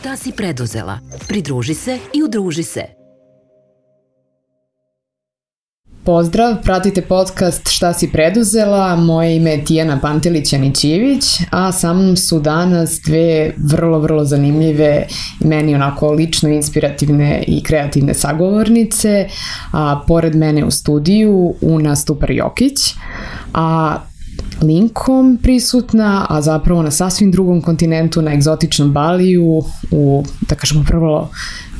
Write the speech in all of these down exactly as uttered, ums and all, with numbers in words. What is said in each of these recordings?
Šta si preduzela? Pridruži se i udruži se. Pozdrav, pratite podcast Šta si preduzela, moje ime je Tijana Pantelić-Janićijević, a sa mnom su danas dve vrlo, vrlo zanimljive i meni onako lično inspirativne i kreativne sagovornice, a pored mene u studiju Una Stupar-Jokić, a linkom prisutna, a zapravo na sasvim drugom kontinentu, na egzotičnom Baliju, u, da kažemo, prvo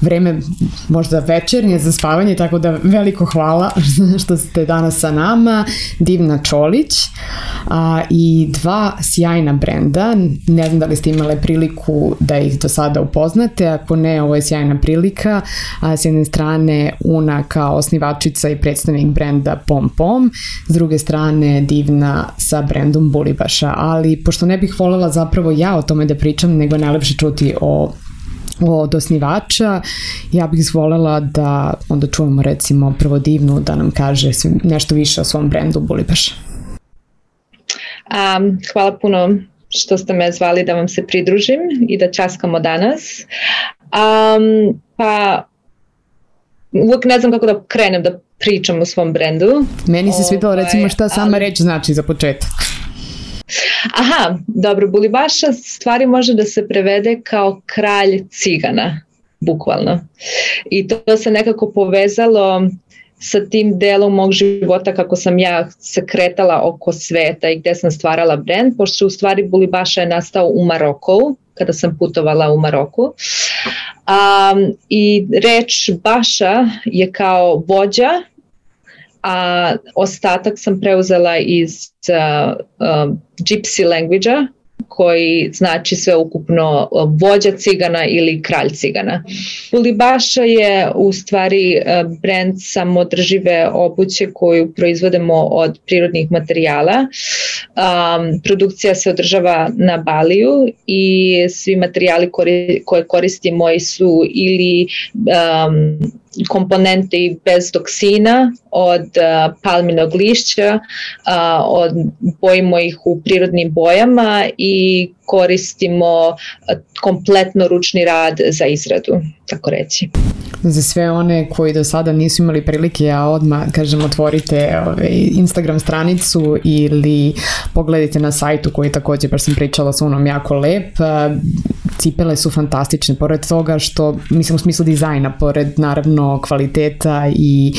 vreme možda večernje za spavanje, tako da veliko hvala što ste danas sa nama, Divna Čolić a, i dva sjajna brenda. Ne znam da li ste imale priliku da ih do sada upoznate, ako ne, ovo je sjajna prilika. A, s jedne strane Una kao osnivačica i predstavnik brenda Pom Pom, s druge strane Divna sa brendom Bulibaša, ali pošto ne bih voljela zapravo ja o tome da pričam, nego je najlepše čuti o od osnivača, ja bih voljela da onda čujemo recimo prvo Divnu da nam kaže nešto više o svom brendu Bulibaš. Um, hvala puno što ste me zvali da vam se pridružim i da časkamo danas. Um, pa uvijek ne znam kako da krenem da pričam o svom brendu. Meni se svidjelo recimo šta sama ali... reč znači za početak. Aha, dobro, Bulibaša stvari može da se prevede kao kralj cigana, bukvalno. I to se nekako povezalo sa tim delom mog života kako sam ja se kretala oko sveta i gde sam stvarala brend, pošto u stvari Bulibaša je nastao u Maroku, kada sam putovala u Maroku. Um, I reč Baša je kao vođa, a ostatak sam preuzela iz uh, uh, gypsy language-a, koji znači sve ukupno vođa cigana ili kralj cigana. Bulibaša je u stvari brend samodržive obuće koju proizvodimo od prirodnih materijala. Um, produkcija se održava na Baliju i svi materijali kori, koje koristimo su ili um, komponenti bez toksina od uh, palminog lišća, uh, od, bojimo ih u prirodnim bojama i koristimo uh, kompletno ručni rad za izradu, tako reći. Za sve one koji do sada nisu imali prilike, a odmah, kažem, otvorite ovaj, Instagram stranicu ili pogledajte na sajtu koji također, baš sam pričala sa Unom, jako lep. Cipele su fantastične, pored toga što, mislim u smislu dizajna, pored naravno kvaliteta i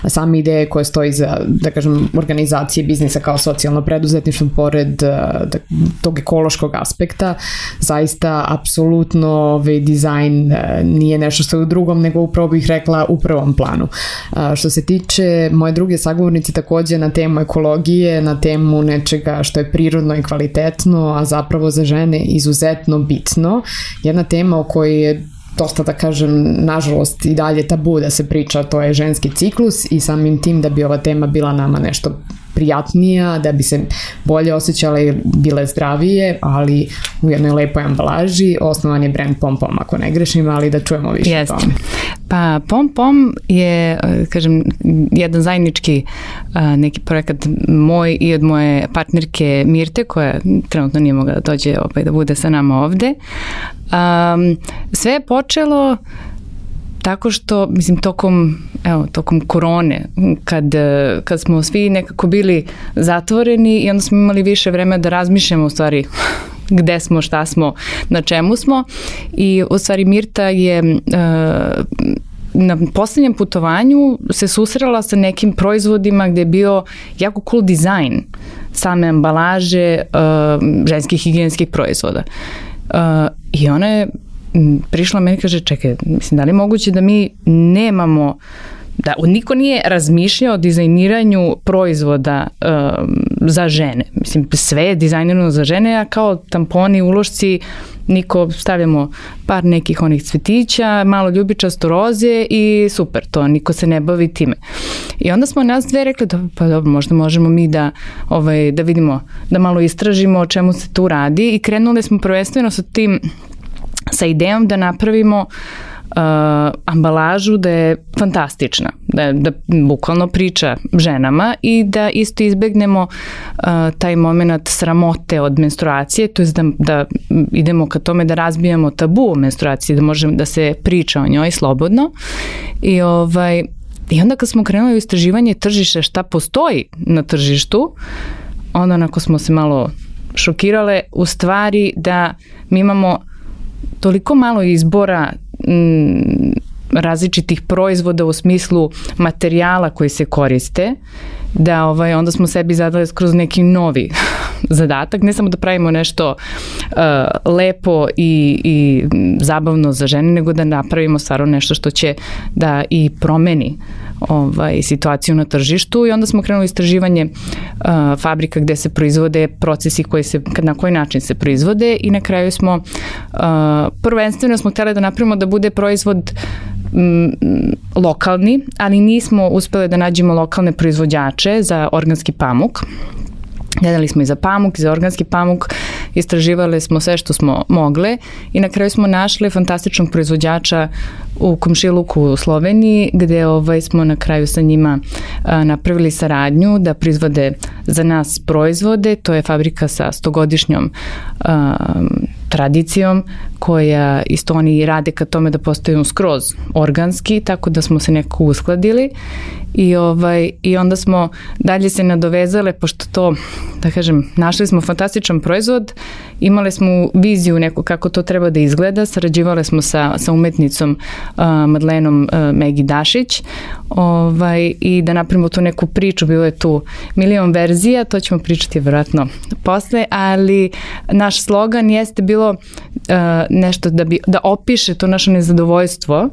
same ideje koje stoji za, da kažem, organizacije biznisa kao socijalno preduzetništvo, pored da, tog ekološkog aspekta, zaista apsolutno ovaj, dizajn nije nešto što je u drugom, nego upravo bih rekla u prvom planu. A, što se tiče moje druge sagovornice, također na temu ekologije, na temu nečega što je prirodno i kvalitetno, a zapravo za žene izuzetno bitno. Jedna tema o kojoj je dosta, da kažem, nažalost i dalje tabu da se priča, to je ženski ciklus i samim tim da bi ova tema bila nama nešto prijatnija, da bi se bolje osjećale i bile zdravije, ali u jednoj lepoj ambalaži. Osnovan je brend Pom Pom, ako ne grešim, ali da čujemo više yes. o tome. Pa Pom Pom je, kažem, jedan zajednički neki projekat moj i od moje partnerke Mirte, koja trenutno nije mogla da dođe opet da bude sa nama ovde. Um, sve je počelo tako što, mislim, tokom, evo, tokom korone, kad, kad smo svi nekako bili zatvoreni i onda smo imali više vremena da razmišljamo u stvari gde smo, šta smo, na čemu smo, i u stvari Mirta je uh, na posljednjem putovanju se susrela sa nekim proizvodima gde je bio jako cool dizajn same ambalaže uh, ženskih higijenskih proizvoda. Uh, I ona je prišla meni i kaže, čekaj, mislim, da li je moguće da mi nemamo, da niko nije razmišljao o dizajniranju proizvoda um, za žene. Mislim, sve je dizajnirano za žene, a kao tamponi, ulošci, niko, stavljamo par nekih onih cvetića, malo ljubičasto roze i super, to, niko se ne bavi time. I onda smo nas dve rekli, da, pa dobro, možda možemo mi da, ovaj, da vidimo, da malo istražimo o čemu se tu radi, i krenuli smo prvenstveno sa tim, sa idejom da napravimo ambalažu da je fantastična, da, da bukvalno priča ženama i da isto izbegnemo uh, taj moment sramote od menstruacije, to je da, da idemo ka tome da razbijamo tabu o menstruaciji, da možemo da se priča o njoj slobodno. I ovaj I onda kad smo krenuli u istraživanje tržišta šta postoji na tržištu, onda onako smo se malo šokirale u stvari da mi imamo toliko malo izbora m, različitih proizvoda u smislu materijala koji se koriste, da ovaj, onda smo sebi zadali skroz neki novi zadatak, ne samo da pravimo nešto uh, lepo i, i zabavno za žene, nego da napravimo stvarno nešto što će da i promeni ovaj, situaciju na tržištu. I onda smo krenuli istraživanje uh, fabrika gde se proizvode, procesi koji se, na koji način se proizvode i na kraju smo uh, prvenstveno smo htjeli da napravimo da bude proizvod m, lokalni, ali nismo uspeli da nađemo lokalne proizvođače za organski pamuk. Gledali smo i za pamuk, i za organski pamuk, istraživali smo sve što smo mogle i na kraju smo našli fantastičnog proizvođača u Komšiluku u Sloveniji, gde ovaj, smo na kraju sa njima a, napravili saradnju da proizvode za nas proizvode. To je fabrika sa stogodišnjom a, tradicijom koja isto oni rade ka tome da postaju skroz organski, tako da smo se nekako uskladili i, ovaj, i onda smo dalje se nadovezale, pošto to, da kažem, našli smo fantastičan proizvod, imali smo viziju neku kako to treba da izgleda, sarađivali smo sa, sa umetnicom uh, Madlenom uh, Megi Dašić ovaj, i da napravimo tu neku priču, bilo je tu milion verzija, to ćemo pričati vjerojatno posle, ali naš slogan jeste bilo uh, nešto da, bi, da opiše to naše nezadovoljstvo,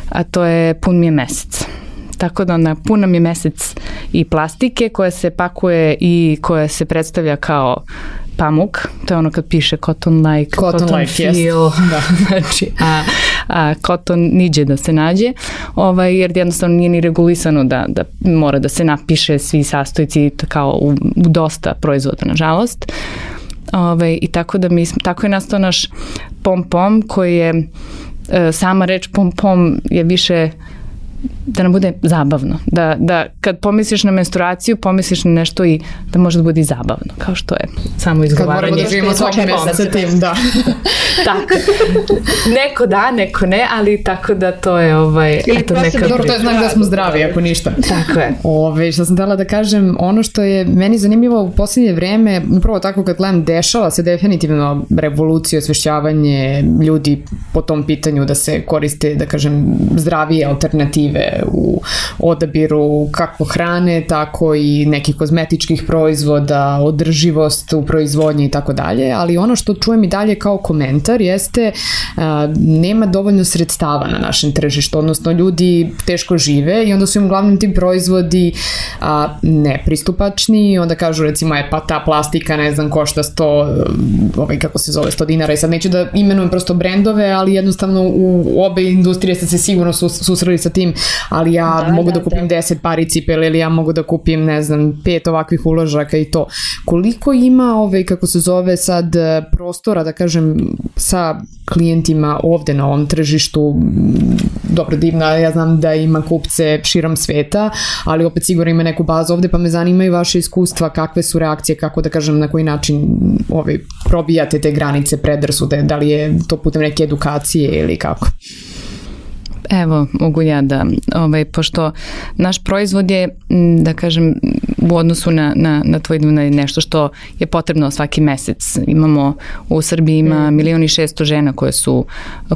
a to je pun mi je mesec. Tako da onda pun nam je mesec i plastike koja se pakuje i koja se predstavlja kao pamuk, to je ono kad piše cotton like, cotton, cotton like, feel, yes. Da. Znači, a, a cotton niđe da se nađe, ovaj, jer jednostavno nije ni regulisano da, da mora da se napiše svi sastojci kao u, u dosta proizvoda, nažalost. Ove, i tako da mi, tako je nastao naš pom-pom koji je, e, sama reč pom-pom je više da nam bude zabavno, da, da kad pomisliš na menstruaciju, pomisliš na nešto i da može da bude i zabavno, kao što je samo izgovaranje. Kad moramo da živimo svaki mesec sa tim, da. Tako. Neko da, neko ne, ali tako da to je ovaj, eto neka... Dobro, to je znak da smo zdravi, ako ništa. Tako je. Ove, što sam htjela da kažem, ono što je meni zanimljivo u posljednje vreme, upravo tako kad gledam, dešava se definitivno revolucija, osvešćavanje ljudi po tom pitanju da se koriste, da kažem, zdravije alternative u odabiru kako hrane, tako i nekih kozmetičkih proizvoda, održivost u proizvodnji i tako dalje, ali ono što čujem i dalje kao komentar jeste a, nema dovoljno sredstava na našem tržištu, odnosno ljudi teško žive i onda su im uglavnom ti proizvodi a, nepristupačni i onda kažu recimo je pa ta plastika ne znam košta sto, ovaj, kako se zove, sto dinara i sad neću da imenujem prosto brendove, ali jednostavno u obe industrije ste se sigurno susreli sa tim, ali ja da, mogu da, da kupim da. deset pari cipele ili ja mogu da kupim, ne znam, pet ovakvih uložaka i to. Koliko ima, ovaj, kako se zove sad, prostora, da kažem, sa klijentima ovde na ovom tržištu, dobro, divno, ja znam da ima kupce širom sveta, ali opet sigurno ima neku bazu ovde, pa me zanimaju vaše iskustva, kakve su reakcije, kako da kažem, na koji način ovaj, probijate te granice, predrasude, da li je to putem neke edukacije ili kako? Evo, mogu ja da, ovaj, pošto naš proizvod je, da kažem, u odnosu na, na, na tvoj nešto što je potrebno svaki mesec. Imamo, u Srbiji ima milion i šesto žena koje su,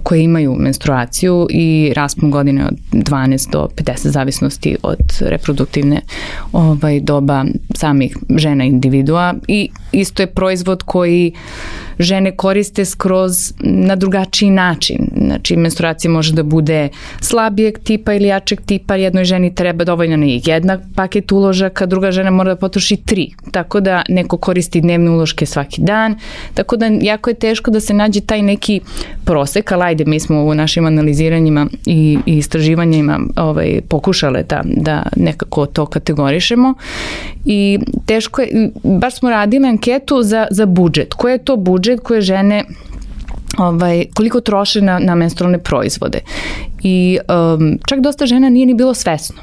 koje imaju menstruaciju i raspon godine od dvanaest do pedeset zavisnosti od reproduktivne ovaj, doba samih žena individua i isto je proizvod koji žene koriste skroz na drugačiji način. Znači, menstruacija može da bude slabijeg tipa ili jačeg tipa, jednoj ženi treba dovoljno na jednak paket uložaka, druga žena mora da potroši tri. Tako da neko koristi dnevne uloške svaki dan. Tako da jako je teško da se nađe taj neki prosek, ali ajde, mi smo u našim analiziranjima i, i istraživanjima ovaj, pokušale da, da nekako to kategorišemo. I teško je, baš smo radili anketu za, za budžet. Koje je to budžet koje žene ovaj, koliko troše na, na menstrualne proizvode. I um, čak dosta žena nije ni bilo svesno,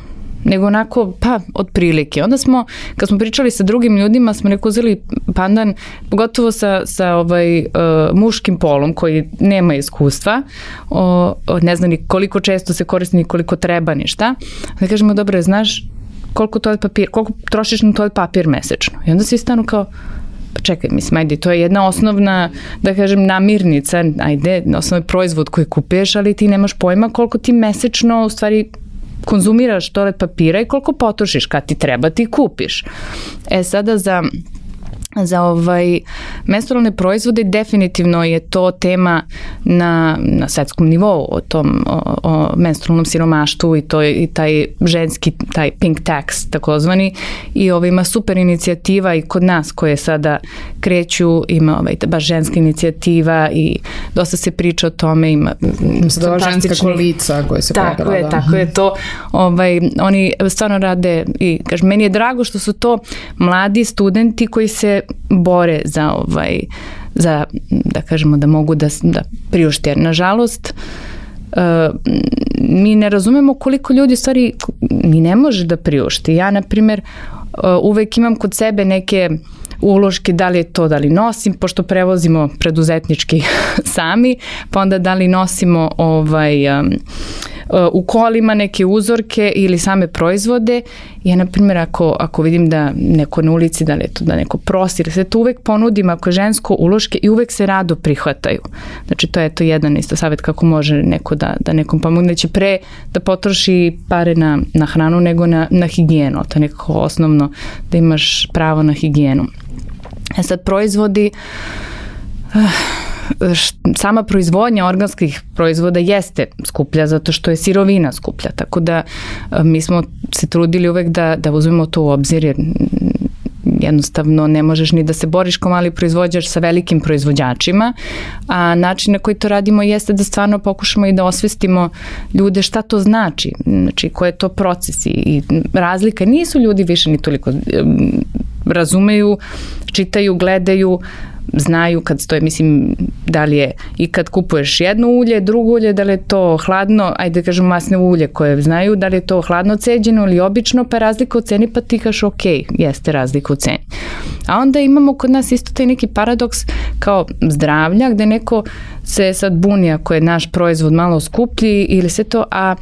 nego onako, pa, otprilike. Onda smo, kad smo pričali sa drugim ljudima, smo neko uzeli pandan, pogotovo sa, sa ovaj, uh, muškim polom koji nema iskustva, o, o, ne zna ni koliko često se koristi, ni koliko treba, ni šta. Da kažemo, dobro, znaš koliko toalet papir, koliko trošiš na toalet papir mesečno? I onda svi stanu kao, pa čekaj, mislim, ajde, to je jedna osnovna, da kažem, namirnica, ajde, osnovni proizvod koji kupuješ, ali ti nemaš pojma koliko ti mesečno, u stvari, konzumiraš toalet papira i koliko potrošiš, kad ti treba ti kupiš. E sada za za ovaj menstrualne proizvode definitivno je to tema na, na svetskom nivou o tom o, o menstrualnom siromaštvu i to je i taj ženski taj pink tax takozvani i ovaj ima super inicijativa i kod nas koje sada kreću, ima ovaj baš ženska inicijativa i dosta se priča o tome, ima sada ženska koalicija koja se tako pojavila, je, da. Tako je to, ovaj oni stvarno rade i kažem, meni je drago što su to mladi studenti koji se bore za ovaj za da kažemo da mogu da, da priušte, jer nažalost uh, mi ne razumemo koliko ljudi u stvari ni ne može da priušti. Ja na primjer uh, uvek imam kod sebe neke uloške, da li je to da li nosim, pošto prevozimo preduzetnički sami, pa onda da li nosimo ovaj um, u kolima neke uzorke ili same proizvode. Ja, na primjer, ako, ako vidim da neko na ulici, da li je to da neko prosi, sve to uvek ponudim ako je žensko uloške i uvek se rado prihvataju. Znači, to je to jedan isto savjet kako može neko da, da nekom pomogne. Će pre da potroši pare na, na hranu nego na, na higijenu. To je nekako osnovno da imaš pravo na higijenu. E sad, proizvodi... Uh, sama proizvodnja organskih proizvoda jeste skuplja zato što je sirovina skuplja, tako da mi smo se trudili uvek da, da uzmemo to u obzir, jer jednostavno ne možeš ni da se boriš kao mali proizvođač sa velikim proizvođačima, a način na koji to radimo jeste da stvarno pokušamo i da osvestimo ljude šta to znači, znači koje je to proces i razlika. Nisu ljudi više ni toliko razumeju, čitaju, gledaju, znaju kad stoje, mislim, da li je i kad kupuješ jedno ulje, drugo ulje, da li je to hladno, ajde kažem masne ulje koje znaju, da li je to hladno ceđeno ili obično, pa razlika u ceni, pa ti kažeš ok, jeste razlika u ceni. A onda imamo kod nas isto taj neki paradoks kao zdravlja, gde neko se sad buni ako je naš proizvod malo skuplji ili sve to, a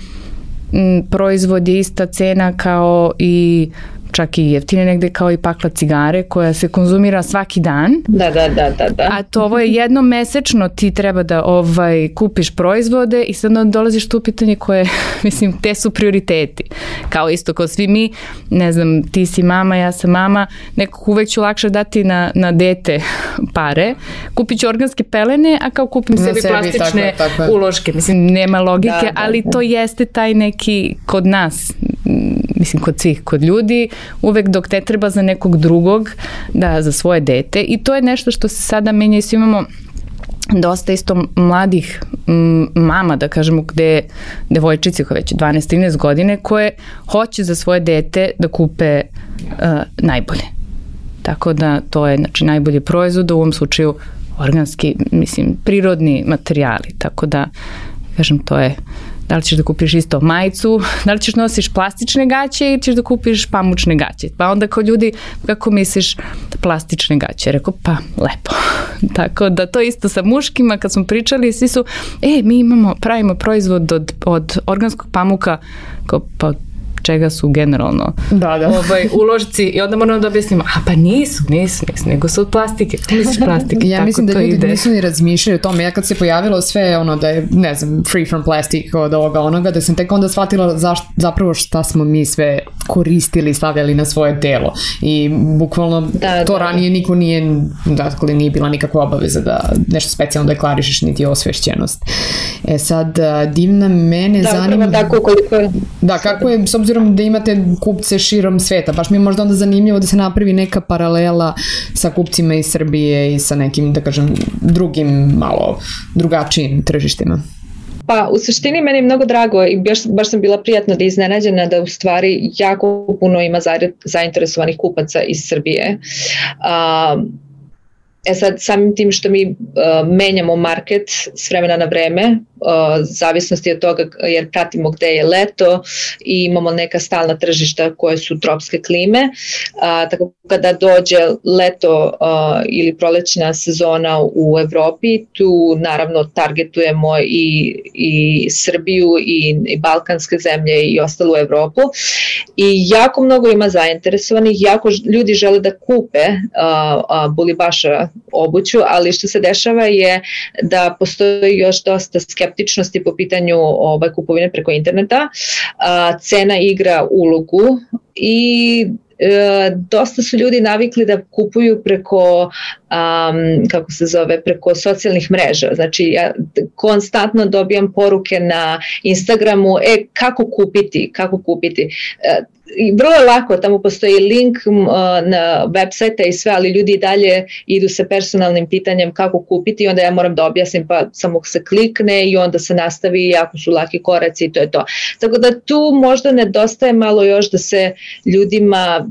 m, proizvod je ista cena kao i čak i jeftine negde kao i pakla cigare koja se konzumira svaki dan. Da, da, da, da, da. A to ovo je jednom mesečno ti treba da ovaj kupiš proizvode i sad dolaziš tu u pitanje koje, mislim, te su prioriteti. Kao isto kao svi mi, ne znam, ti si mama, ja sam mama, nekog uvek ću lakše dati na, na dete pare, kupit ću organske pelene, a kao kupim na sebi, sebi plastične tako, tako. uloške. Mislim, nema logike, da, da, ali to jeste taj neki kod nas, mislim, kod svih, kod ljudi, uvek dok ne treba za nekog drugog, da za svoje dete, i to je nešto što se sada menja i svi imamo dosta isto mladih mama, da kažemo, gde devojčice koje već dvanaest trinaest godine koje hoće za svoje dete da kupe uh, najbolje. Tako da to je, znači, najbolji proizvod, u ovom slučaju organski, mislim, prirodni materijali. Tako da, kažem, to je da li ćeš da kupiš isto majicu, da li ćeš nosiš plastične gaće ili ćeš da kupiš pamučne gaće. Pa onda kao ljudi, kako misliš plastične gaće? Rekao, pa lepo. Tako da to isto sa muškima, kad smo pričali, svi su, e, mi imamo, pravimo proizvod od, od organskog pamuka, kao, pa čega su generalno da, da. Ovaj, uložci, i onda moramo da objasnimo, a pa nisu, nisu, nisu, nego su od plastike. Kako misliš plastike? Ja tako mislim da ljudi ide. nisu ni razmišljali o tome. Ja kad se pojavilo sve ono da je, ne znam, free from plastic od ovoga onoga, da sam tek onda shvatila zaš, zapravo šta smo mi sve koristili, stavljali na svoje telo. I bukvalno da, to da. ranije niko nije, dakle, nije bila nikakva obaveza da nešto specijalno deklarišeš, niti osvešćenost. E sad, Divna, mene da, zanima... Da, tako koliko je... Da, kako je, s obzirom da imate kupce širom sveta, baš mi je možda onda zanimljivo da se napravi neka paralela sa kupcima iz Srbije i sa nekim, da kažem, drugim, malo drugačijim tržištima. Pa u suštini meni je mnogo drago i baš, baš sam bila prijatno da iznenađena da u stvari jako puno ima zainteresovanih kupaca iz Srbije. Um, E sad, samim tim što mi uh, menjamo market s vremena na vreme, uh, zavisnosti od toga jer pratimo gde je leto i imamo neka stalna tržišta koje su tropske klime, uh, tako kada dođe leto uh, ili prolećna sezona u Evropi, tu naravno targetujemo i, i Srbiju i, i balkanske zemlje i ostalu Evropu i jako mnogo ima zainteresovanih, jako ljudi žele da kupe uh, uh, Bulibaša obuću, ali što se dešava je da postoji još dosta skeptičnosti po pitanju ovaj, kupovine preko interneta, a, cena igra ulogu i e, dosta su ljudi navikli da kupuju preko um, kako se zove, preko socijalnih mreža. Znači ja konstantno dobijam poruke na Instagramu, e kako kupiti, kako kupiti. E, I vrlo je lako, tamo postoji link uh, na website i sve, ali ljudi i dalje idu sa personalnim pitanjem kako kupiti i onda ja moram da objasnim, pa samo se klikne i onda se nastavi, jako su laki koraci i to je to. Tako da tu možda nedostaje malo još da se ljudima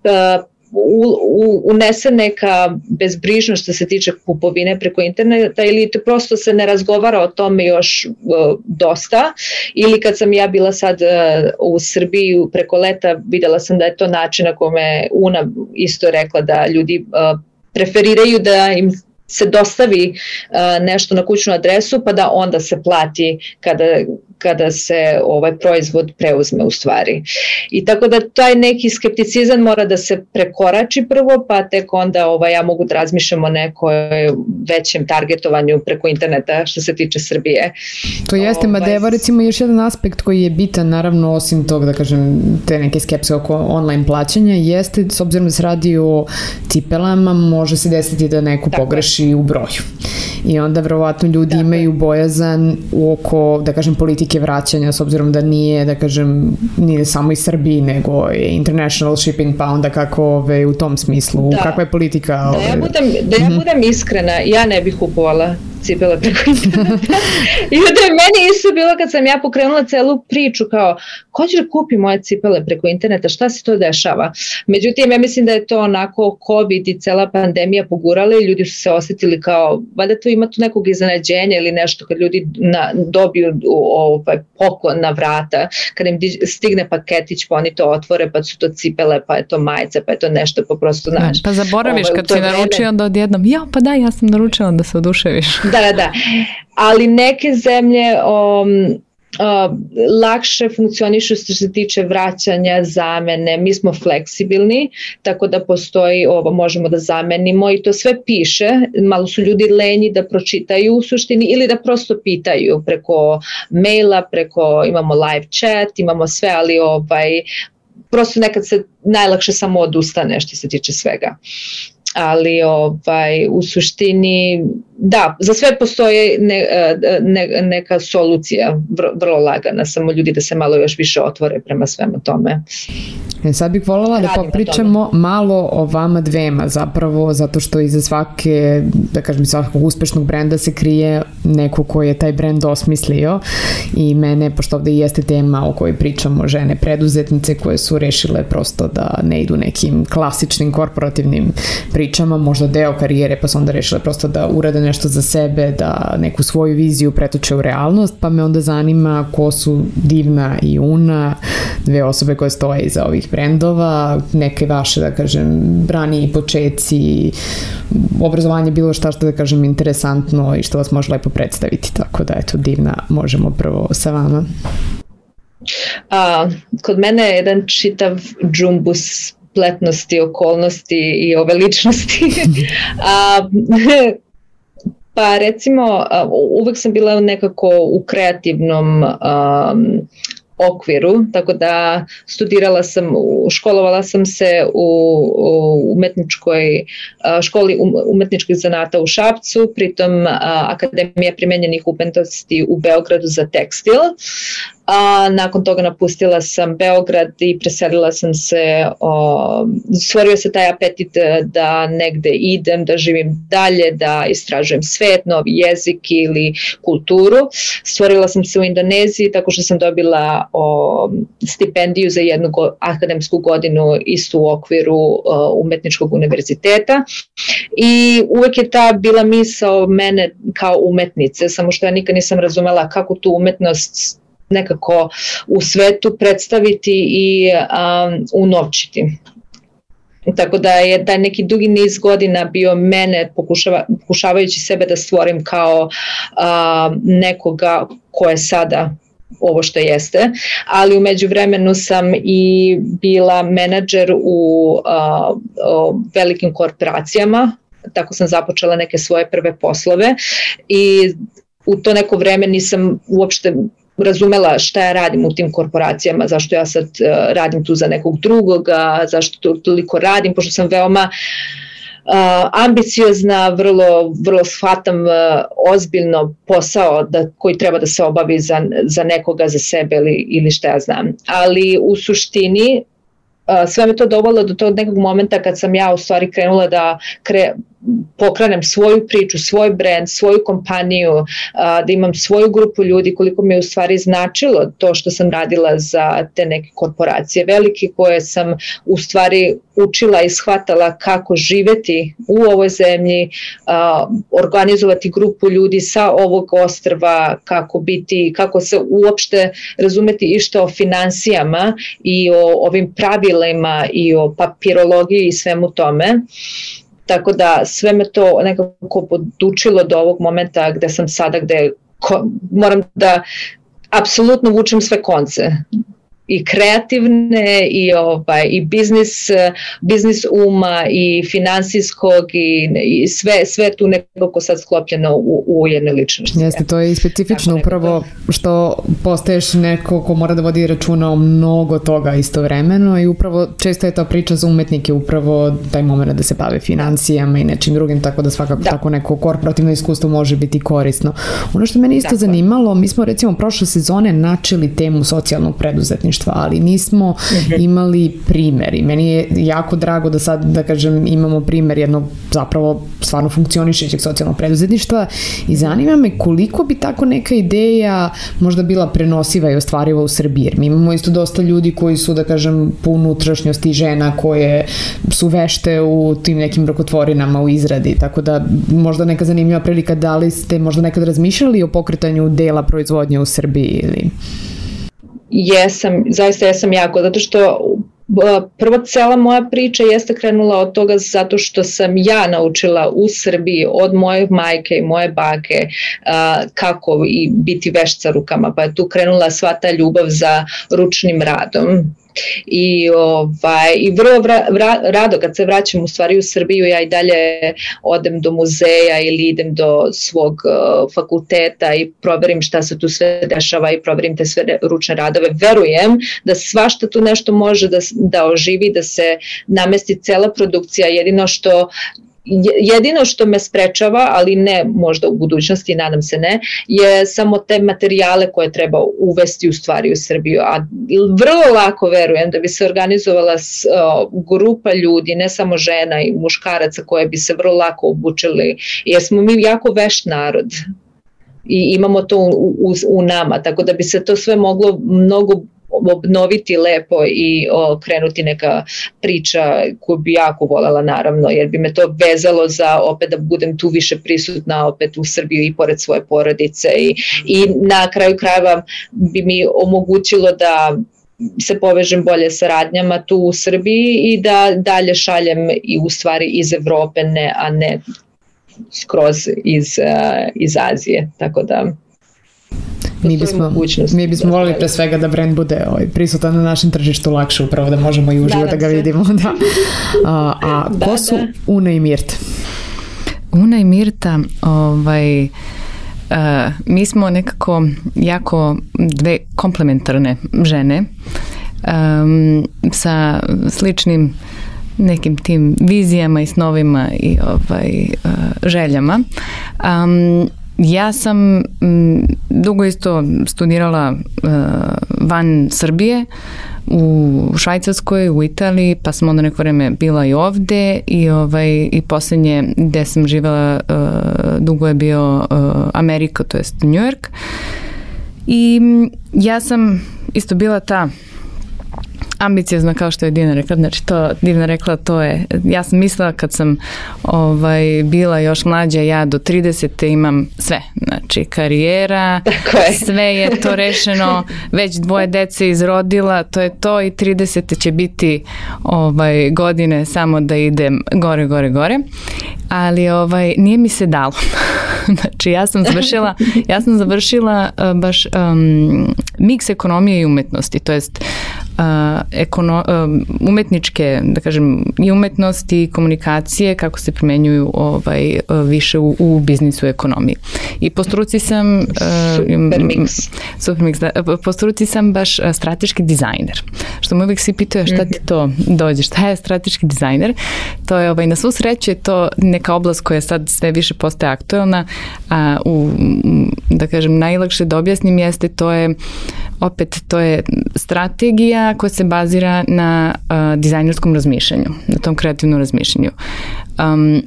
uh, U, u, unese neka bezbrižnost što se tiče kupovine preko interneta ili to prosto se ne razgovara o tome još uh, dosta ili kad sam ja bila sad uh, u Srbiji preko leta videla sam da je to način na kome Una isto rekla da ljudi uh, preferiraju da im se dostavi uh, nešto na kućnu adresu pa da onda se plati kada kada se ovaj proizvod preuzme u stvari. I tako da taj neki skepticizam mora da se prekorači prvo, pa tek onda ovaj, ja mogu da razmišljam o nekoj većem targetovanju preko interneta što se tiče Srbije. To jeste, ovaj, mada evo recimo još jedan aspekt koji je bitan, naravno osim tog da kažem te neke skepse oko online plaćanja, jeste s obzirom da se radi o cipelama, može se desiti da neko tako pogreši u broju. I onda verovatno ljudi tako imaju bojazan oko, da kažem, politike vraćanja, s obzirom da nije, da kažem, nije samo iz Srbiji, nego je international shipping, pa onda kako ove, u tom smislu, da. Kakva je politika? Da ja budem, da ja budem iskrena, ja ne bih kupovala cipele preko interneta. I onda je meni isto bilo kad sam ja pokrenula celu priču kao, ko će da kupi moje cipele preko interneta, šta se to dešava? Međutim, ja mislim da je to onako COVID i cela pandemija pogurala i ljudi su se osjetili kao, valjda to ima tu nekog iznenađenja ili nešto kad ljudi na, dobiju ovaj, poklon na vrata, kad im stigne paketić pa oni to otvore pa su to cipele, pa je to majice, pa je to nešto pa prosto naš. Pa zaboraviš ovaj, kad si naručio onda odjednom, ja pa da, ja sam naručila da se oduševiš. Da, da, da. Ali neke zemlje um, uh, lakše funkcionišu što se tiče vraćanja, zamene. Mi smo fleksibilni, tako da postoji ovo, možemo da zamenimo i to sve piše. Malo su ljudi lenji da pročitaju u suštini ili da prosto pitaju preko maila, preko imamo live chat, imamo sve, ali ovaj, prosto nekad se najlakše samo odustane što se tiče svega. Ali ovaj, u suštini da, za sve postoje ne, ne, neka solucija vrlo lagana, samo ljudi da se malo još više otvore prema svemu tome. E, sad bih voljela da popričamo malo o vama dvema zapravo, zato što iza svake, da kažem, svakog uspešnog brenda se krije neko ko je taj brend osmislio i mene, pošto ovde i jeste tema o kojoj pričamo, žene preduzetnice koje su rešile prosto da ne idu nekim klasičnim korporativnim pričama, možda deo karijere, pa su onda rešile prosto da urade nešto za sebe, da neku svoju viziju pretoče u realnost, pa me onda zanima ko su Divna i Una, dve osobe koje stoje iza ovih brendova, neke vaše, da kažem, raniji počeci, obrazovanje, bilo šta što, da kažem, interesantno i što vas može lepo predstaviti, tako da, eto, Divna, možemo prvo sa vama. A, kod mene je jedan čitav džumbus spletnosti, okolnosti i ove ličnosti. A, pa recimo, uvek sam bila nekako u kreativnom um, okviru, tako da studirala sam, školovala sam se u, u umetničkoj školi umetničkih zanata u Šapcu, pritom Akademija primenjenih umetnosti u Beogradu za tekstil. a nakon toga napustila sam Beograd i preselila sam se, o, stvorio se taj apetit da negde idem, da živim dalje, da istražujem svet, novi jezik ili kulturu. Stvorila sam se u Indoneziji tako što sam dobila o, stipendiju za jednu go, akademsku godinu isto u okviru o, umetničkog univerziteta i uvek je ta bila misao mene kao umetnice, samo što ja nikad nisam razumela kako tu umetnost nekako u svetu predstaviti i um, unovčiti. Tako da je taj neki dugi niz godina bio mene pokušava, pokušavajući sebe da stvorim kao uh, nekoga ko je sada ovo što jeste, ali u međuvremenu sam i bila menadžer u uh, uh, velikim korporacijama, tako sam započela neke svoje prve poslove i u to neko vreme nisam uopšte razumela šta ja radim u tim korporacijama, zašto ja sad uh, radim tu za nekog drugoga, zašto to, toliko radim, pošto sam veoma uh, ambiciozna, vrlo, vrlo shvatam uh, ozbiljno posao da, koji treba da se obavi za, za nekoga, za sebe ili, ili šta ja znam. Ali u suštini uh, sve me to dovelo do tog nekog momenta kad sam ja u stvari krenula da kre, pokrenem svoju priču, svoj brand, svoju kompaniju, da imam svoju grupu ljudi, koliko mi je u stvari značilo to što sam radila za te neke korporacije velike koje sam u stvari učila i shvatala kako živeti u ovoj zemlji, organizovati grupu ljudi sa ovog ostrva, kako biti, kako se uopšte razumeti išta o finansijama i o ovim pravilima i o papirologiji i svemu tome. Tako da sve me to nekako podučilo do ovog momenta gde sam sada, gde ko, moram da apsolutno vučem sve konce. I kreativne i ovaj i biznis biznis uma i finansijskog i, i sve sve tu nekako sad sklopljeno u, u jednoj ličnosti. Jeste, to je i specifično upravo što postaješ neko ko mora da vodi računa o mnogo toga istovremeno i upravo često je ta priča za umetnike upravo taj moment da se bave financijama i nečim drugim, tako da svakako da. Tako neko korporativno iskustvo može biti korisno. Ono što mene isto tako zanimalo, mi smo recimo prošle sezone načeli temu socijalnog preduzetništva, ali nismo imali primer i meni je jako drago da sad, da kažem, imamo primer jednog zapravo stvarno funkcionišećeg socijalnog preduzetništva i zanima me koliko bi tako neka ideja možda bila prenosiva i ostvariva u Srbiji, jer mi imamo isto dosta ljudi koji su, da kažem, po unutrašnjosti žena koje su vešte u tim nekim rukotvorinama u izradi, tako da možda neka zanimljiva prilika, da li ste možda nekad razmišljali o pokretanju dela proizvodnje u Srbiji ili... Jesam, zaista jesam jako, zato što prvo cela moja priča jeste krenula od toga zato što sam ja naučila u Srbiji od moje majke i moje bake uh, kako i biti vešt sa rukama, pa je tu krenula sva ta ljubav za ručnim radom. I, ovaj, i vrlo vra, vra, rado kad se vraćam u stvari u Srbiju, ja i dalje odem do muzeja ili idem do svog uh, fakulteta i proverim šta se tu sve dešava i proverim te sve ručne radove. Verujem da svašta tu nešto može da, da oživi, da se namesti cela produkcija, jedino što Jedino što me sprečava, ali ne možda u budućnosti, nadam se ne, je samo te materijale koje treba uvesti u stvari u Srbiju. A vrlo lako verujem da bi se organizovala grupa ljudi, ne samo žena i muškaraca, koje bi se vrlo lako obučili, jer smo mi jako vešt narod i imamo to u, u, u nama, tako da bi se to sve moglo mnogo obnoviti lepo i o, krenuti neka priča koju bi jako voljela, naravno, jer bi me to vezalo za opet da budem tu više prisutna opet u Srbiji i pored svoje porodice i, i na kraju krajeva bi mi omogućilo da se povežem bolje sa radnjama tu u Srbiji i da dalje šaljem i u stvari iz Evrope, ne, a ne skroz iz, uh, iz Azije, tako da Mi bismo, mi bismo volili pre svega da brand bude ovaj, prisutan na našem tržištu lakše, upravo da možemo i uživo da ga vidimo. Da. A, a da, ko su da. Una i Mirta? Una i Mirta, ovaj, uh, mi smo nekako jako dve komplementarne žene um, sa sličnim nekim tim vizijama i snovima i ovaj, uh, željama. Um, ja sam m, dugo isto studirala uh, van Srbije, u Švajcarskoj, u Italiji, pa sam onda neko vreme bila i ovde i, ovaj, i poslednje gde sam živela uh, dugo je bio uh, Amerika, to jest New York. I ja sam isto bila ta ambiciozna, kao što je Divna rekla, znači to, Divna rekla, to je, ja sam mislila kad sam ovaj, bila još mlađa, ja do tridesete imam sve, znači karijera, sve je to rešeno, već dvoje dece izrodila, to je to i tridesete će biti ovaj, godine samo da idem gore, gore, gore, ali ovaj, nije mi se dalo. Znači ja sam završila, ja sam završila uh, baš um, miks ekonomije i umetnosti, to jest Uh, ekono, uh, umetničke, da kažem, i umetnosti i komunikacije kako se primenjuju ovaj, uh, više u, u biznisu i ekonomiji. I po struci sam uh, super miks. Super miks, da, po struci sam baš uh, strateški dizajner. Što me uvijek svi pitaju šta ti to dođe, šta je strateški dizajner? To je, ovaj, na svu sreću je to neka oblast koja sad sve više postaje aktuelna, a u, da kažem, najlakše da objasnim jeste, to je opet, to je strategija koja se bazira na uh, dizajnerskom razmišljanju, na tom kreativnom razmišljanju. Um,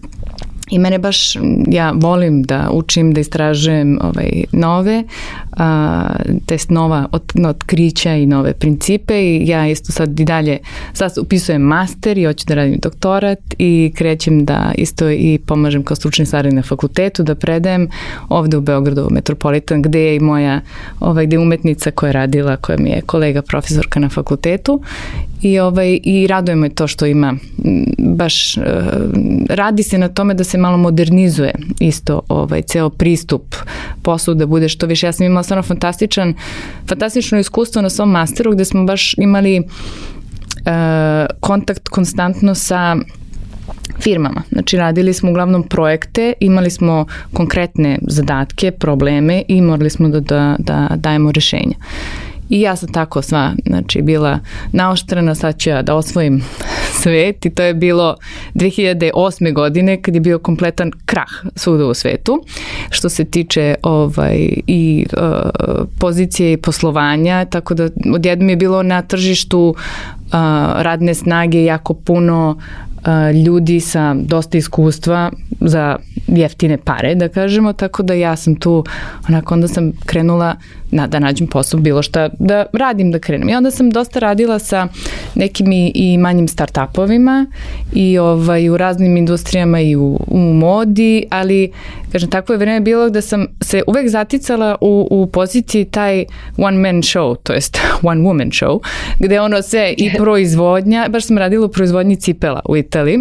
I mene baš, ja volim da učim, da istražujem ovaj, nove, a, test nova od, otkrića i nove principe i ja isto sad i dalje, sad upisujem master i hoću da radim doktorat i krećem da isto i pomažem kao stručni saradnik na fakultetu, da predajem ovde u Beogradu, Metropolitan, gde je i moja ovaj, gde je umetnica koja je radila, koja mi je kolega profesorka na fakultetu. I, ovaj, i raduje me to što ima baš, uh, radi se na tome da se malo modernizuje isto ovaj, ceo pristup poslu, da bude što više. Ja sam imala stvarno fantastičan, fantastično iskustvo na svom masteru gde smo baš imali uh, kontakt konstantno sa firmama. Znači radili smo uglavnom projekte, imali smo konkretne zadatke, probleme i morali smo da, da, da dajemo rešenja. I ja sam tako sva, znači, bila naoštrena, sad ću ja da osvojim svet i to je bilo dve hiljade osme godine kad je bio kompletan krah svuda u svetu što se tiče ovaj, i uh, pozicije i poslovanja, tako da odjednom je bilo na tržištu uh, radne snage jako puno uh, ljudi sa dosta iskustva za jeftine pare, da kažemo, tako da ja sam tu, onako, onda sam krenula na, da nađem posao, bilo šta da radim, da krenem. I onda sam dosta radila sa nekim i, i manjim start-upovima i ovaj, u raznim industrijama i u, u modi, ali, kažem, tako je vreme bilo da sam se uvek zaticala u, u poziciji taj one man show, to jest one woman show, gde ono sve i proizvodnja, baš sam radila u proizvodnji cipela u Italiji.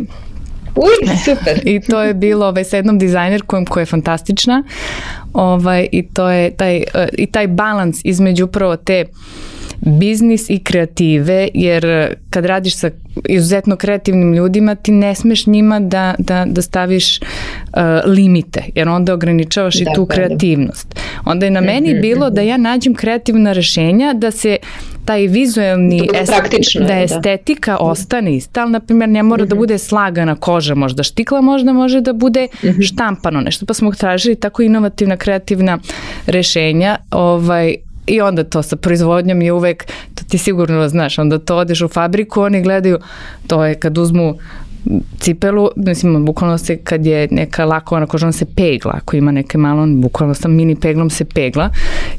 Uj, super. I to je bilo ovaj, sa jednom dizajnerkom koja je fantastična. Ovaj, i to je taj, uh, i taj balans između upravo te biznis i kreative, jer kad radiš sa izuzetno kreativnim ljudima, ti ne smeš njima da, da, da staviš uh, limite, jer onda ograničavaš da, i tu kreativnost. Onda je na meni bilo da ja nađem kreativna rešenja, da se taj vizuelni est, da estetika da. ostane ista, ali na primjer ne mora uh-huh. da bude slagana koža, možda štikla, možda može da bude uh-huh. štampano nešto, pa smo tražili tako inovativna, kreativna rešenja, ovaj, i onda to sa proizvodnjom je uvek, to ti sigurno znaš, onda to odeš u fabriku, oni gledaju, to je kad uzmu cipelu, mislim, bukvalno se kad je neka lakovana koža, on se pegla, ako ima neke malo, on bukvalno sa mini peglom se pegla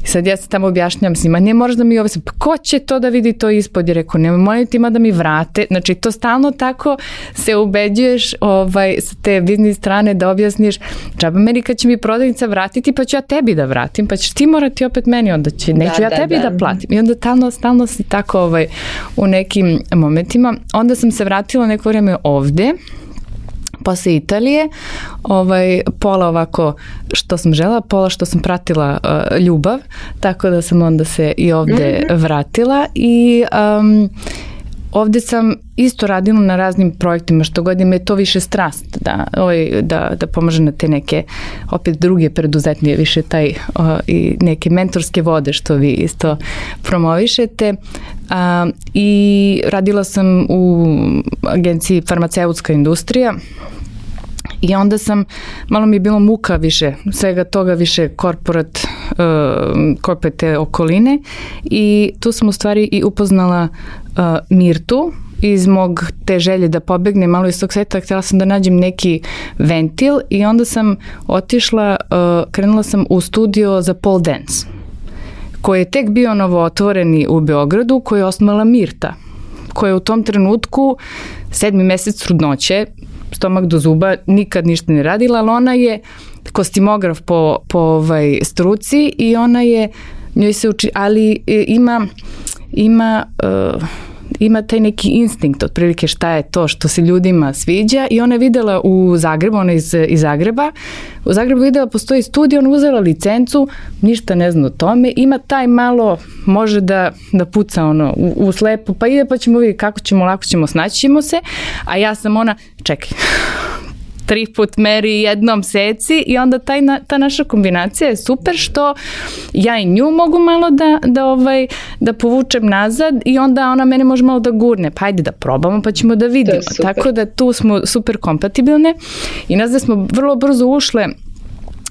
i sad ja se tamo objašnjam s njima, ne moraš da mi ove, pa ko će to da vidi to ispod, je rekao, nema molim tima da mi vrate, znači to stalno tako se ubeđuješ ovaj, sa te biznis strane da objasniš, džaba meni kad će mi prodavnica vratiti, pa ću ja tebi da vratim, pa ćeš ti morati opet meni, onda će, neću da, ja da, tebi da, da platim i onda stalno, stalno si tako ovaj, u nekim momentima, onda sam se vratila neko vreme ovde posle Italije, ovaj, pola ovako što sam žela, pola što sam pratila uh, ljubav, tako da sam onda se i ovde vratila i um, ovde sam isto radila na raznim projektima, što god me je to više strast, da, ovaj, da, da pomaže na te neke, opet druge preduzetnije, više taj uh, i neke mentorske vode što vi isto promovišete. Uh, I radila sam u agenciji Farmaceutska industrija I onda sam, malo mi je bilo muka više, svega toga više korporat, uh, korporat te okoline i tu sam u stvari i upoznala uh, Mirtu iz mog te želje da pobegnem malo iz tog sveta, htjela sam da nađem neki ventil i onda sam otišla, uh, krenula sam u studio za pole dance, koji je tek bio novo otvoreni u Beogradu, koji je osnovala Mirta, koja je u tom trenutku sedmi mesec trudnoće, stomak do zuba, nikad ništa ne radila, ali ona je kostimograf po, po ovaj struci i ona je, njoj se uči, ali ima, ima, uh, ima taj neki instinkt, otprilike šta je to što se ljudima sviđa i ona je videla u Zagrebu, ona je iz, iz Zagreba, u Zagrebu videla postoji studio, ona uzela licencu, ništa ne zna o tome, ima taj malo, može da, da puca ono u, u slepo, pa ide pa ćemo vidjeti kako ćemo, lako ćemo, snaći ćemo se, a ja sam ona, čekaj, tri put meri jednom seci i onda taj na, ta naša kombinacija je super što ja i nju mogu malo da, da, ovaj, da povučem nazad i onda ona mene može malo da gurne, pa ajde da probamo pa ćemo da vidimo. Tako da tu smo super kompatibilne i nas da smo vrlo brzo ušle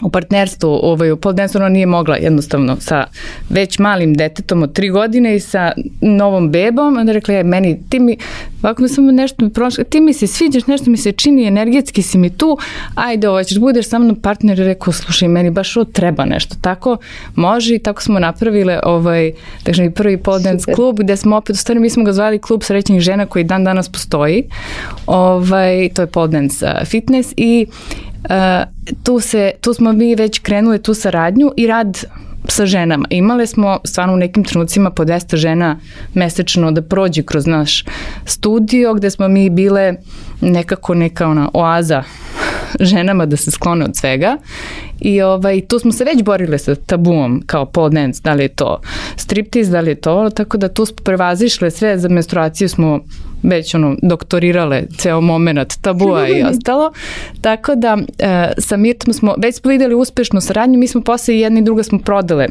u partnerstvu, ovaj, u pole dance ona nije mogla jednostavno sa već malim detetom od tri godine i sa novom bebom, onda rekla je meni, ti mi, ovako mi samo nešto prošlo, ti mi se sviđaš, nešto mi se čini, energetski si mi tu, ajde ovo ćeš, budeš sa mnom partner i rekao, slušaj, meni baš ovo treba nešto, tako može i tako smo napravile ovaj, takže mi prvi pole dance klub gde smo opet, u stvari mi smo ga zvali klub srećnih žena koji dan danas postoji, ovaj, to je pole dance fitness i Uh, tu, se, tu smo mi već krenuli tu saradnju i rad sa ženama. Imale smo stvarno u nekim trenucima po dvesta žena mesečno da prođe kroz naš studio gde smo mi bile nekako neka ona oaza ženama da se sklone od svega i ovaj, tu smo se već borile sa tabuom kao pole dance, da li je to striptease, da li je to, tako da tu smo prevazišle sve, za menstruaciju smo već ono doktorirale ceo moment tabua i ostalo, tako da e, sa Mirtom smo, već smo videli uspešnu saradnju, mi smo posle jedna i druga smo prodale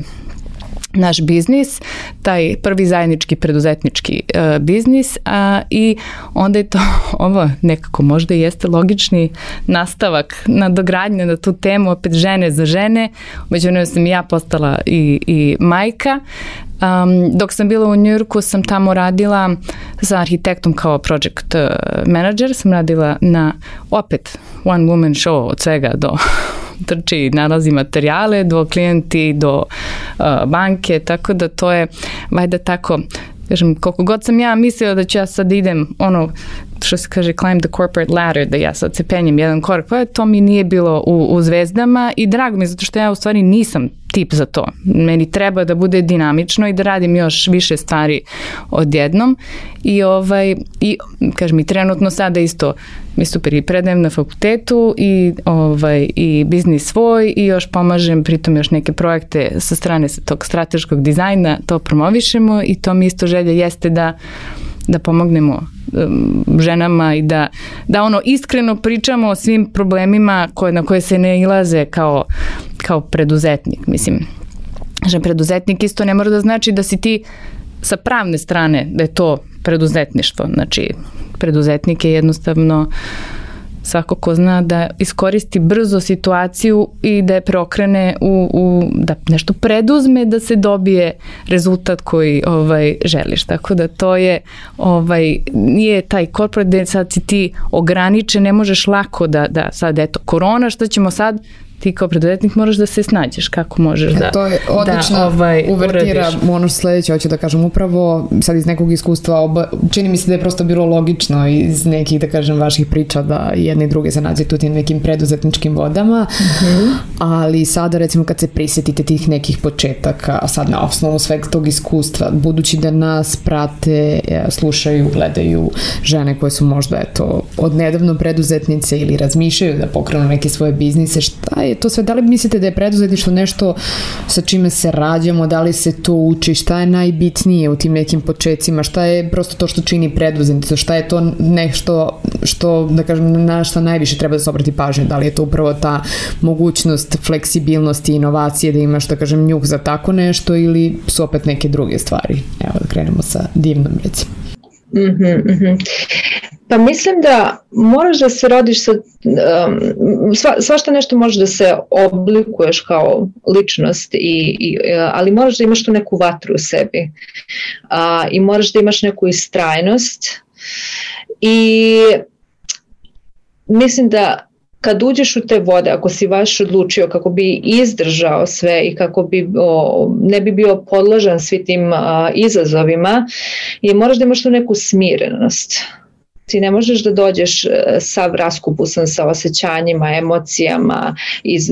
naš biznis, taj prvi zajednički preduzetnički uh, biznis a, i onda je to ovo nekako možda jeste logični nastavak nadogradnje na tu temu, opet žene za žene, međutim sam i ja postala i, i majka. Um, dok sam bila u Njujorku sam tamo radila sa arhitektom kao project manager, sam radila na opet one woman show od svega do trči, nalazi materijale, do klijenti, do uh, banke, tako da to je vajda tako, kažem, koliko god sam ja mislila da ću ja sad idem ono što se kaže climb the corporate ladder, da ja sad se penjem jedan korak, pa to mi nije bilo u, u zvezdama i drago mi je zato što ja u stvari nisam tip za to. Meni treba da bude dinamično i da radim još više stvari odjednom i ovaj, i kažem mi trenutno sada isto mi super i predajem na fakultetu i ovaj, i biznis svoj i još pomažem pritom još neke projekte sa strane tog strateškog dizajna, to promovišemo i to mi isto želja jeste da da pomognemo um, ženama i da, da ono iskreno pričamo o svim problemima koje, na koje se ne ilaze kao, kao preduzetnik. Mislim, že preduzetnik isto ne mora da znači da si ti sa pravne strane da je to preduzetništvo. Znači, preduzetnik je jednostavno svako ko zna da iskoristi brzo situaciju i da je preokrene u, u da nešto preduzme da se dobije rezultat koji ovaj želiš. Tako da to je ovaj nije taj corporate da sad si ti ograničen, ne možeš lako da da sad eto korona, šta ćemo sad, ti kao preduzetnik moraš da se snađeš kako možeš da to je odlična da, ovaj, uvertira, ono sledeće hoću da kažem upravo sad iz nekog iskustva oba, čini mi se da je prosto bilo logično iz nekih da kažem vaših priča da jedne i druge se nađe tu tim nekim preduzetničkim vodama, mm-hmm. ali sada recimo kad se prisjetite tih nekih početaka, a sad na osnovu sveg tog iskustva, budući da nas prate, slušaju, gledaju žene koje su možda eto odnedavno preduzetnice ili razmišljaju da pokrenu neke svoje biznise, šta je to sve, da li mislite da je preduzetništvo nešto sa čime se rađamo, da li se to uči, šta je najbitnije u tim nekim početcima, šta je prosto to što čini preduzetništvo, šta je to nešto što, da kažem, na šta najviše treba da se obrati pažnju, da li je to upravo ta mogućnost fleksibilnosti, inovacije, da imaš, da kažem, njuh za tako nešto ili su opet neke druge stvari. Evo da krenemo sa Divnom, recimo. Mm-hmm, mm-hmm. Pa mislim da moraš da se rodiš sa, um, sva, svašta nešto može da se oblikuješ kao ličnost, i, i, ali moraš da imaš tu neku vatru u sebi uh, i moraš da imaš neku istrajnost, i mislim da kad uđeš u te vode, ako si baš odlučio kako bi izdržao sve i kako bi o, ne bi bio podložan svi tim a, izazovima, i moraš da imaš tu neku smirenost. Ti ne možeš da dođeš sav raskupusan sa osjećanjima, emocijama iz,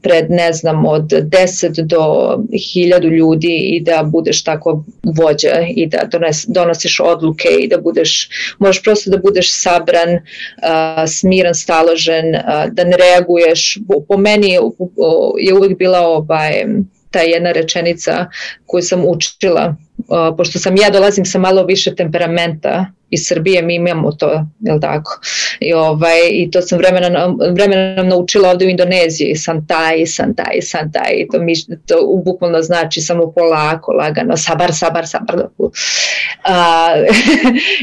pred ne znam od deset do hiljadu ljudi i da budeš tako vođa i da dones, donosiš odluke i da budeš, možeš prosto da budeš sabran, uh, smiran, staložen, uh, da ne reaguješ. Po meni je, je uvijek bila ovaj, ta jedna rečenica koju sam učila, uh, pošto sam ja dolazim sa malo više temperamenta iz Srbije, mi imamo to, jel tako? I, ovaj, i to sam vremenom, vremenom naučila ovdje u Indoneziji, santai, santai, santai, i to, mi, to bukvalno znači samo polako, lagano, sabar, sabar, sabar. A,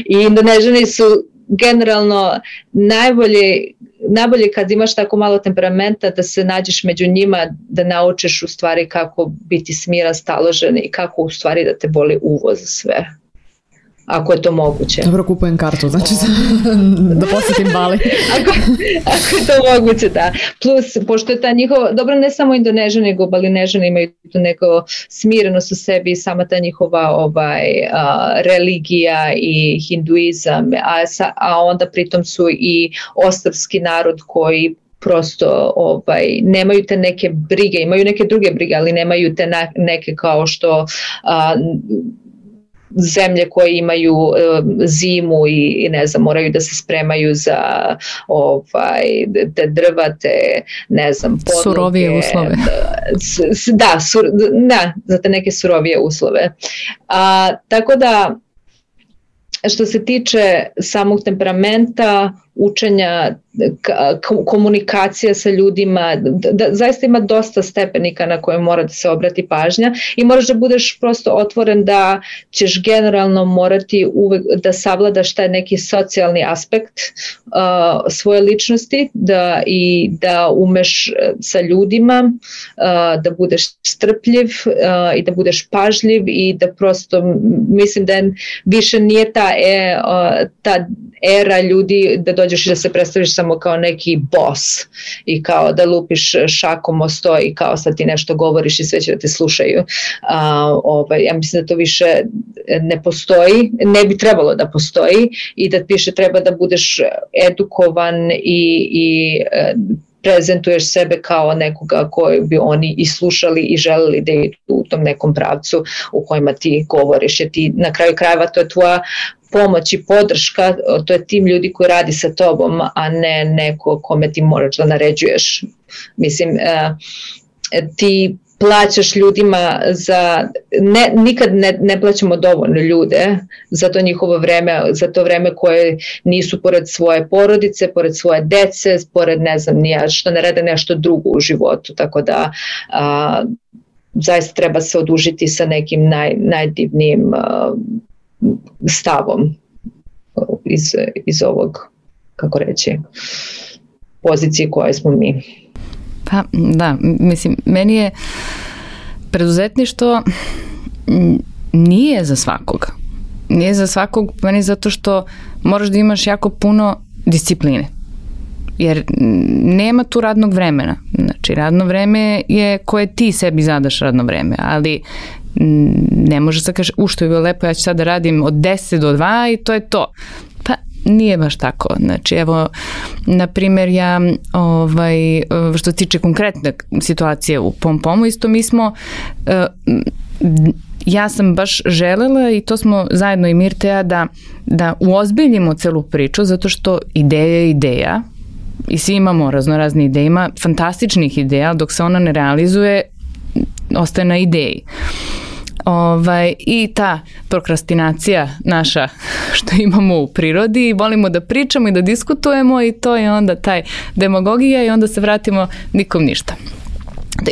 i Indonežani su generalno najbolji, najbolje kad imaš tako malo temperamenta da se nađeš među njima, da naučiš u stvari kako biti smiran, staložen i kako u stvari da te boli uvo za sve. Ako je to moguće. Dobro, kupujem kartu, znači da posjetim Bali. ako, ako je to moguće, da. Plus, pošto je ta njihova, dobro, ne samo Indonežani, nego Balinežani imaju tu neko smirenost u sebi, sama ta njihova ovaj, a, religija i hinduizam, a, a onda pritom su i ostrvski narod koji prosto ovaj, nemaju te neke brige, imaju neke druge brige, ali nemaju te na, neke kao što a, zemlje koje imaju um, zimu i, i ne znam, moraju da se spremaju za ovaj, te drva, te ne znam, podloge. Surovije uslove. Da, sur, da, za te neke surovije uslove. A, tako da, što se tiče samog temperamenta, učenja, komunikacija sa ljudima, da, da, zaista ima dosta stepenika na koje mora da se obrati pažnja, i moraš da budeš prosto otvoren da ćeš generalno morati uvek da savladaš taj neki socijalni aspekt uh, svoje ličnosti, da, i da umeš sa ljudima, uh, da budeš strpljiv uh, i da budeš pažljiv, i da prosto, mislim da više nije ta, e, uh, ta era ljudi da dođeš i da se predstaviš samo kao neki boss i kao da lupiš šakom o sto i kao sad ti nešto govoriš i sve će da te slušaju. A, ovaj, ja mislim da to više ne postoji, ne bi trebalo da postoji, i da više treba da budeš edukovan i, i prezentuješ sebe kao nekoga koji bi oni i slušali i želeli da idu u tom nekom pravcu u kojima ti govoriš, jer ti na kraju krajeva to je tvoja pomoć i podrška, to je tim ljudi koji radi sa tobom, a ne neko kome ti moraš da naređuješ. Mislim, ti plaćaš ljudima za, ne, nikad ne, ne plaćamo dovoljno ljude za to njihovo vreme, za to vreme koje nisu pored svoje porodice, pored svoje dece, pored ne znam nija, što ne rade nešto drugo u životu, tako da a, zaista treba se odužiti sa nekim naj, najdivnijim a, stavom iz, iz ovog, kako reći, pozicije koje smo mi. Pa da, mislim, meni je preduzetništvo nije za svakoga. Nije za svakog, meni zato što moraš da imaš jako puno discipline. Jer nema tu radnog vremena. Znači, radno vreme je koje ti sebi zadaš radno vreme, ali ne može se kaže, u što je bilo lepo, ja ću sad da radim od deset do dva i to je to. Pa nije baš tako. Znači, evo, na primjer, ja, ovaj, što se tiče konkretne situacije u Pom Pomu, isto mi smo, ja sam baš želela, i to smo zajedno i Mirteja, da, da uozbiljimo celu priču, zato što ideja je ideja i svi imamo raznorazne ideje, ima fantastičnih ideja, dok se ona ne realizuje, ostaje na ideji. Ovaj, i ta prokrastinacija naša što imamo u prirodi, volimo da pričamo i da diskutujemo, i to je onda taj demagogija, i onda se vratimo nikom ništa.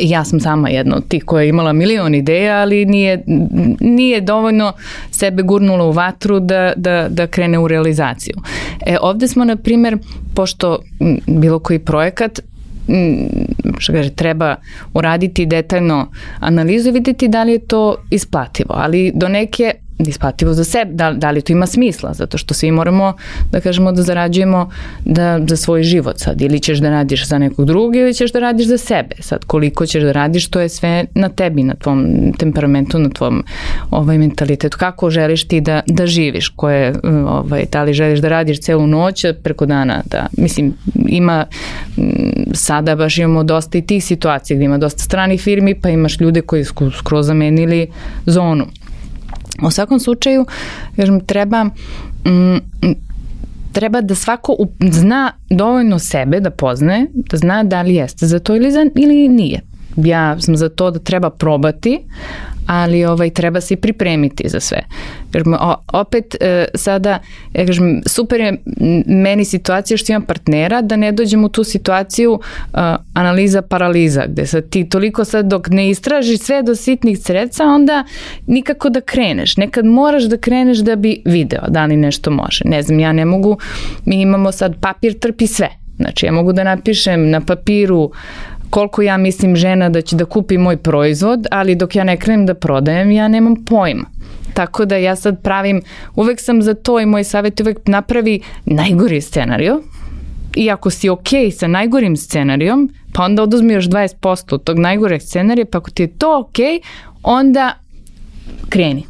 ja sam sama jedna od tih koja je imala milion ideja, ali nije, nije dovoljno sebe gurnula u vatru da, da, da krene u realizaciju. E, ovde smo, na primjer, pošto bilo koji projekat što kaže, treba uraditi detaljno analizu i vidjeti da li je to isplativo, ali do neke isplativo za sebe, da, da li to ima smisla, zato što svi moramo da kažemo da zarađujemo da, za svoj život sad, ili ćeš da radiš za nekog drugog ili ćeš da radiš za sebe, sad koliko ćeš da radiš, to je sve na tebi, na tvom temperamentu, na tvom ovaj, mentalitetu, kako želiš ti da, da živiš, koje, ovaj, da li želiš da radiš celu noć preko dana, da, mislim, ima sada baš imamo dosta i tih situacija gdje ima dosta stranih firmi, pa imaš ljude koji su skroz zamenili zonu. U svakom slučaju, kažem, treba, m, treba da svako zna dovoljno sebe da poznaje, da zna da li jeste za to ili, za, ili nije. Ja sam za to da treba probati, ali ovaj, treba se i pripremiti za sve. Kažem, o, opet e, sada, ja kažem, super je meni situacija što imam partnera, da ne dođem u tu situaciju a, analiza paraliza, gde sad ti toliko sad dok ne istražiš sve do sitnih creca, onda nikako da kreneš. Nekad moraš da kreneš da bi video da li nešto može. Ne znam, ja ne mogu, mi imamo sad papir trpi sve. Znači, ja mogu da napišem na papiru koliko ja mislim žena da će da kupi moj proizvod, ali dok ja ne krenem da prodajem, ja nemam pojma. Tako da ja sad pravim, uvek sam za to i moj savjet uvek napravi najgori scenario i ako si ok sa najgorim scenarijom, pa onda oduzmi još dvadeset posto od tog najgoreg scenarija, pa ako ti je to ok, onda kreni.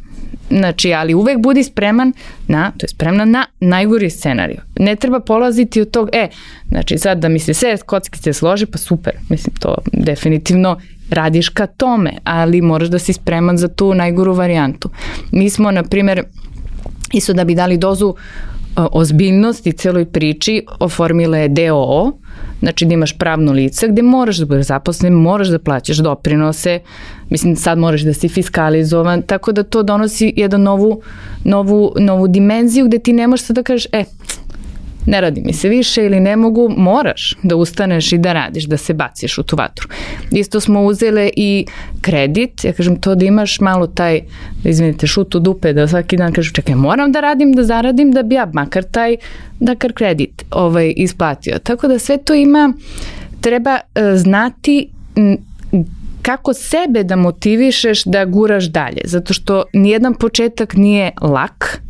Znači, ali uvek budi spreman na, to je spremna na najgori scenariju. Ne treba polaziti od tog, e, znači sad da mi se sve kockice složi, pa super, mislim, to definitivno radiš ka tome, ali moraš da si spreman za tu najgoru varijantu. Mi smo, na primjer, isto da bi dali dozu ozbiljnosti celoj priči, oformile D O O, znači da imaš pravno lice gde moraš da budeš zaposlen, moraš da plaćaš doprinose, mislim sad moraš da si fiskalizovan, tako da to donosi jednu novu, novu, novu dimenziju gde ti ne možeš sad da kažeš, e, ne radi mi se više ili ne mogu, moraš da ustaneš i da radiš, da se baciš u tu vatru. Isto smo uzele i kredit, ja kažem to da imaš malo taj, izvinite, šut u dupe, da svaki dan kažu čekaj, moram da radim, da zaradim, da bi ja makar taj, da kar kredit ovaj, isplatio. Tako da sve to ima, treba uh, znati m, kako sebe da motivišeš da guraš dalje, zato što nijedan početak nije lak,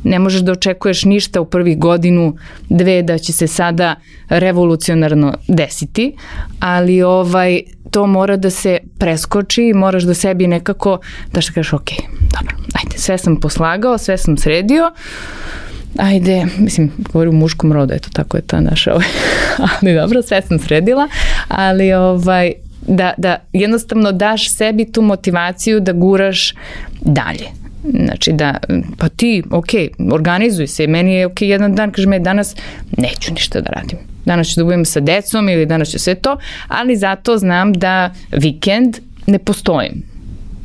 ne možeš da očekuješ ništa u prvih godinu, dve da će se sada revolucionarno desiti, ali ovaj, to mora da se preskoči i moraš da sebi nekako, da što kažeš, ok, dobro, ajde, sve sam poslagao, sve sam sredio, ajde, mislim, govorim u muškom rodu, eto, tako je ta naša, ovaj, ali dobro, sve sam sredila, ali ovaj, da, da jednostavno daš sebi tu motivaciju da guraš dalje. Znači da, pa ti, ok, organizuj se, meni je ok, jedan dan, kaže me, danas neću ništa da radim. Danas ću da budem sa decom ili danas ću sve to, ali zato znam da vikend ne postojim.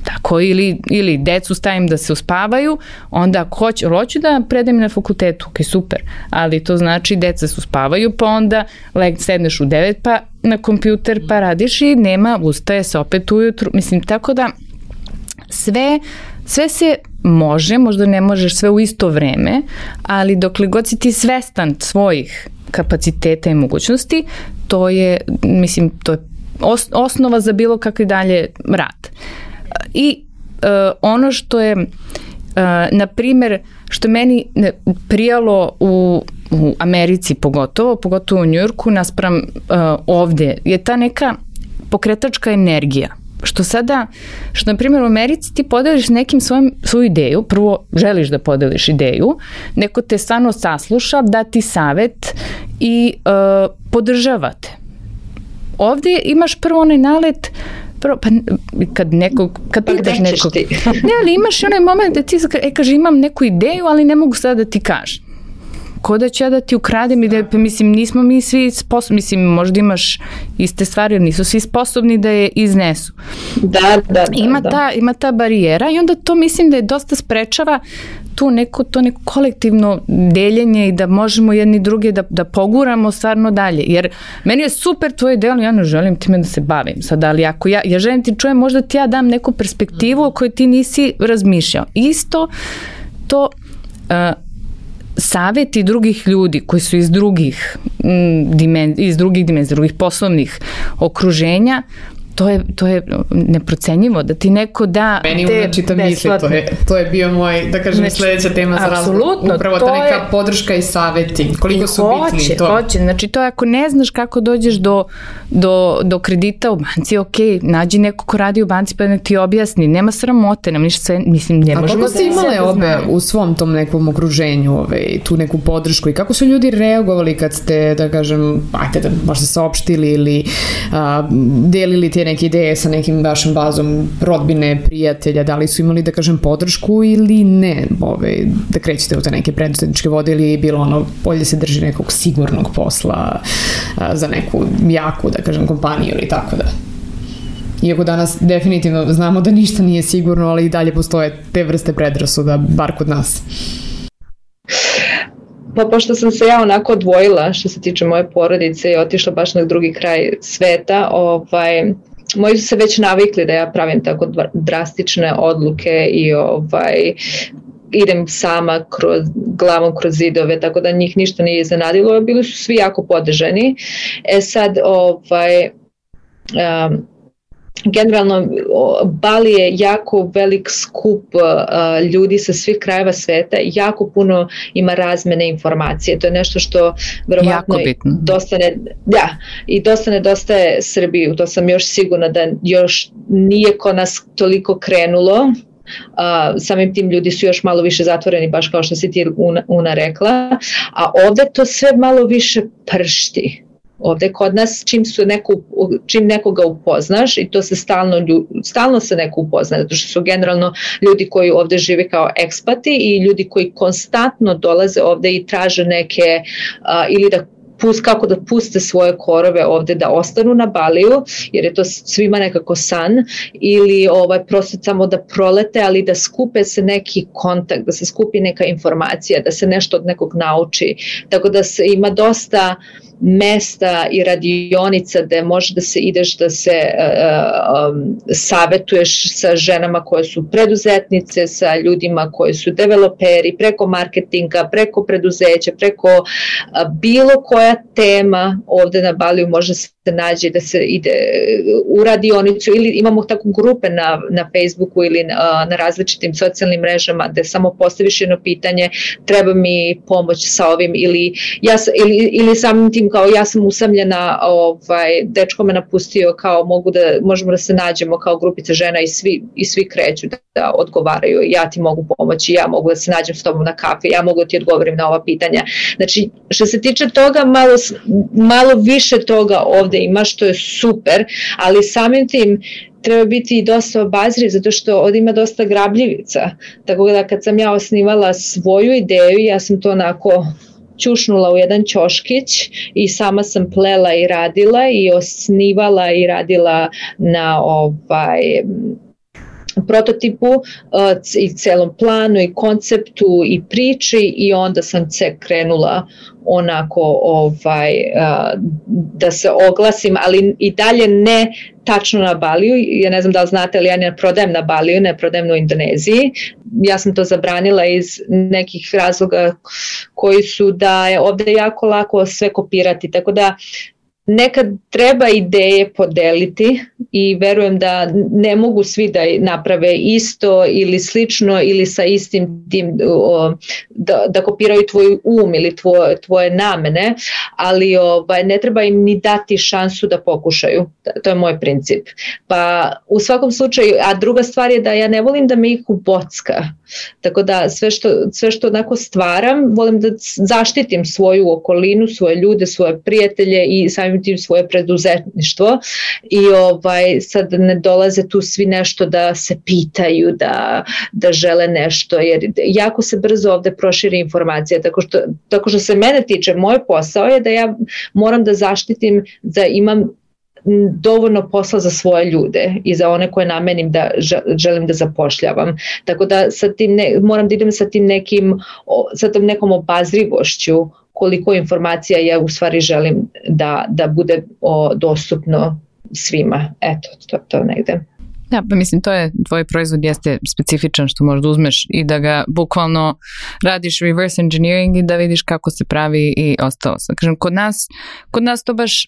Tako, ili, ili decu stavim da se uspavaju, onda ako hoću, hoću da predajem na fakultetu, ok, super, ali to znači deca se uspavaju, pa onda leg, sedneš u devet, pa na kompjuter, pa radiš i nema, ustaje se opet ujutru, mislim, tako da sve, sve se može, možda ne možeš sve u isto vreme, ali dokle god si ti svestan svojih kapaciteta i mogućnosti, to je, mislim, to je os, osnova za bilo kakvi dalje rad. I uh, ono što je, uh, na primjer, što meni prijalo u, u Americi pogotovo, pogotovo u Njujorku, naspram uh, ovde, je ta neka pokretačka energija. Što sada, što na primjer u Americi ti podeliš nekim svojim, svoju ideju, prvo želiš da podeliš ideju, neko te stvarno sasluša, da ti savet i uh, podržavate. Ovde imaš prvo onaj nalet, prvo, pa kad nekog, kad pa pitaš nekog, ne, ali imaš onaj moment da ti e, kaže imam neku ideju, ali ne mogu sada da ti kažem. ko da ću ja da ti ukradem i da, pa mislim, nismo mi svi sposobni, mislim, možda imaš iste stvari, ali nisu svi sposobni da je iznesu. Da, da, da. Ima, da. Ta, ima ta barijera i onda to mislim da je dosta sprečava tu neko, to neko kolektivno deljenje i da možemo jedni druge da, da poguramo stvarno dalje. Jer meni je super tvoje delo, ja ne želim time da se bavim sad, ali ako ja, ja želim ti čujem, možda ti ja dam neku perspektivu o kojoj ti nisi razmišljao. Isto to uh, saveti drugih ljudi koji su iz drugih mm, dimen, iz drugih dimenzija, drugih poslovnih okruženja, to je, to je neprocenjivo, da ti neko da meni te unačita misli, to je, to je bio moj, da kažem, znači, sledeća tema za razgovor. Upravo ta neka je, podrška i saveti, koliko su hoće, bitni to. Hoće, znači to je ako ne znaš kako dođeš do, do, do kredita u banci, ok, nađi neko ko radi u banci pa nek ti objasni, nema sramote, nam ništa sve, mislim, ne možemo. A kako ste imale obe u svom tom nekom okruženju, ove, tu neku podršku i kako su ljudi reagovali kad ste, da kažem, ajte da možda saopštili ili a, delili te neke ideje sa nekim vašom bazom rodbine, prijatelja, da li su imali, da kažem, podršku ili ne, ove, da krećete u te neke preduzetničke vode ili je bilo ono, bolje se drži nekog sigurnog posla a, za neku jaku, da kažem, kompaniju ili tako da. Iako danas definitivno znamo da ništa nije sigurno, ali i dalje postoje te vrste predrasuda, bar kod nas. Pa pošto sam se ja onako odvojila što se tiče moje porodice i otišla baš na drugi kraj sveta, ovaj, moji su se već navikli da ja pravim tako drastične odluke i ovaj, idem sama kroz, glavom kroz zidove, tako da njih ništa nije iznenadilo, bili su svi jako podržani. E sad, ovaj, um, generalno Bali je jako velik skup uh, ljudi sa svih krajeva sveta, jako puno ima razmene informacije, to je nešto što verovatno dosta ne, da, i dosta nedostaje Srbiji, to sam još sigurna da još nije kod nas toliko krenulo. Uh, samim tim ljudi su još malo više zatvoreni, baš kao što si ti Una, Una rekla, a ovde to sve malo više pršti. Ovde kod nas čim, su neko, čim nekoga upoznaš i to se stalno, stalno se neko upozna, zato što su generalno ljudi koji ovde žive kao ekspati i ljudi koji konstantno dolaze ovde i traže neke uh, ili da pust, kako da puste svoje korove ovde, da ostanu na Baliju, jer je to svima nekako san, ili ovaj, prosto samo da prolete, ali da skupe se neki kontakt, da se skupi neka informacija, da se nešto od nekog nauči. Tako da se ima dosta mesta i radionica gde može da se ideš da se uh, um, savetuješ sa ženama koje su preduzetnice, sa ljudima koji su developeri, preko marketinga, preko preduzeća, preko uh, bilo koja tema ovde na Baliju može se nađe da se ide u radionicu ili imamo tako grupe na, na Facebooku ili na, na različitim socijalnim mrežama gde samo postaviš jedno pitanje, treba mi pomoć sa ovim ili, ja, ili, ili samim tim kao ja sam usamljena, ovaj, dečko me napustio, kao mogu da, možemo da se nađemo kao grupica žena i svi, i svi kreću da, da odgovaraju, ja ti mogu pomoći, ja mogu da se nađem s tobom na kafi, ja mogu da ti odgovorim na ova pitanja. Znači, što se tiče toga, malo, malo više toga ovde ima, što je super, ali samim tim treba biti i dosta obazriv, zato što ovdje ima dosta grabljivica. Tako da kad sam ja osnivala svoju ideju, ja sam to onako čušnula u jedan ćoškić i sama sam plela i radila i osnivala i radila na ovaj prototipu uh, i celom planu i konceptu i priči i onda sam se krenula onako ovaj, uh, da se oglasim, ali i dalje ne tačno na Baliju. Ja ne znam da li znate, ali ja ne prodajem na Baliju, ne prodajem u Indoneziji. Ja sam to zabranila iz nekih razloga koji su da je ovde jako lako sve kopirati, tako da nekad treba ideje podeliti i verujem da ne mogu svi da naprave isto ili slično ili sa istim tim da, da kopiraju tvoj um ili tvoje, tvoje namene, ali ovaj, ne treba im ni dati šansu da pokušaju. To je moj princip. Pa u svakom slučaju, a druga stvar je da ja ne volim da me ih ubocka. Tako da sve što, sve što onako stvaram, volim da zaštitim svoju okolinu, svoje ljude, svoje prijatelje i samim pokrenuti svoje preduzetništvo i ovaj, sad ne dolaze tu svi nešto da se pitaju, da, da žele nešto, jer jako se brzo ovde proširi informacija, tako što, tako što se mene tiče, moj posao je da ja moram da zaštitim, da imam dovoljno posla za svoje ljude i za one koje namenim da želim da zapošljavam. Tako da sa tim ne, moram da idem sa tim nekim, sa tom nekom obazrivošću koliko informacija ja u stvari želim da, da bude o, dostupno svima. Eto, to, to negde. Da, pa mislim, to je, tvoj proizvod jeste specifičan što možda uzmeš i da ga bukvalno radiš reverse engineering i da vidiš kako se pravi i ostalo. Sad kažem, kod nas, kod nas to baš,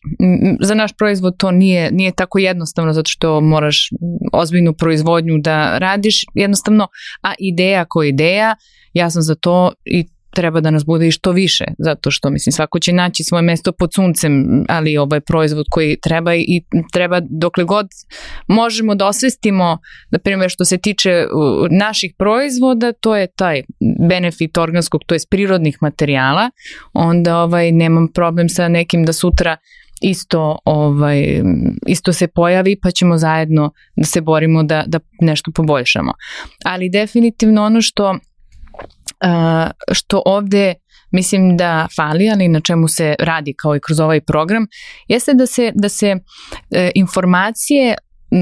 za naš proizvod to nije, nije tako jednostavno zato što moraš ozbiljnu proizvodnju da radiš, jednostavno, a ideja ko ideja, ja sam za to i treba da nas bude i što više, zato što mislim svako će naći svoje mesto pod suncem, ali ovaj proizvod koji treba i treba dokle god možemo da osvestimo, na primjer što se tiče naših proizvoda, to je taj benefit organskog, to je prirodnih materijala, onda ovaj nemam problem sa nekim da sutra isto ovaj isto se pojavi pa ćemo zajedno da se borimo da da nešto poboljšamo. Ali definitivno ono što Uh, što ovde mislim da fali, ali na čemu se radi kao i kroz ovaj program, jeste da se, da se uh, informacije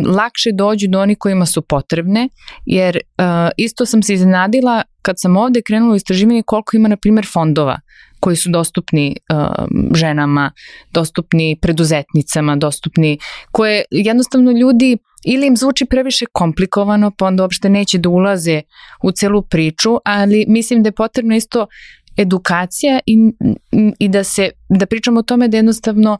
lakše dođu do onih kojima su potrebne, jer uh, isto sam se iznenadila kad sam ovde krenula u istraživanje koliko ima, na primjer, fondova koji su dostupni uh, ženama, dostupni preduzetnicama, dostupni, koje jednostavno ljudi ili im zvuči previše komplikovano, pa onda uopšte neće da ulaze u celu priču, ali mislim da je potrebno isto edukacija i, i da se, da pričamo o tome da jednostavno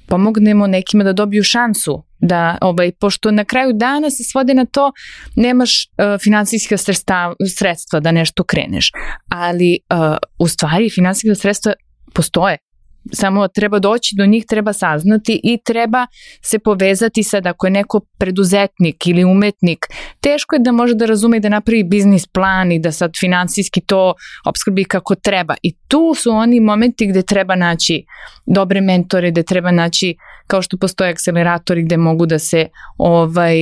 pomognemo nekima da dobiju šansu, da, ovaj, pošto na kraju dana se svode na to, nemaš uh, finansijska sredstva, sredstva da nešto kreneš, ali uh, u stvari finansijska sredstva postoje. Samo treba doći do njih, treba saznati i treba se povezati sad ako je neko preduzetnik ili umetnik, teško je da može da razume i da napravi biznis plan i da sad finansijski to opskrbi kako treba. I tu su oni momenti gde treba naći dobre mentore, gde treba naći, kao što postoje akceleratori gde mogu da se ovaj,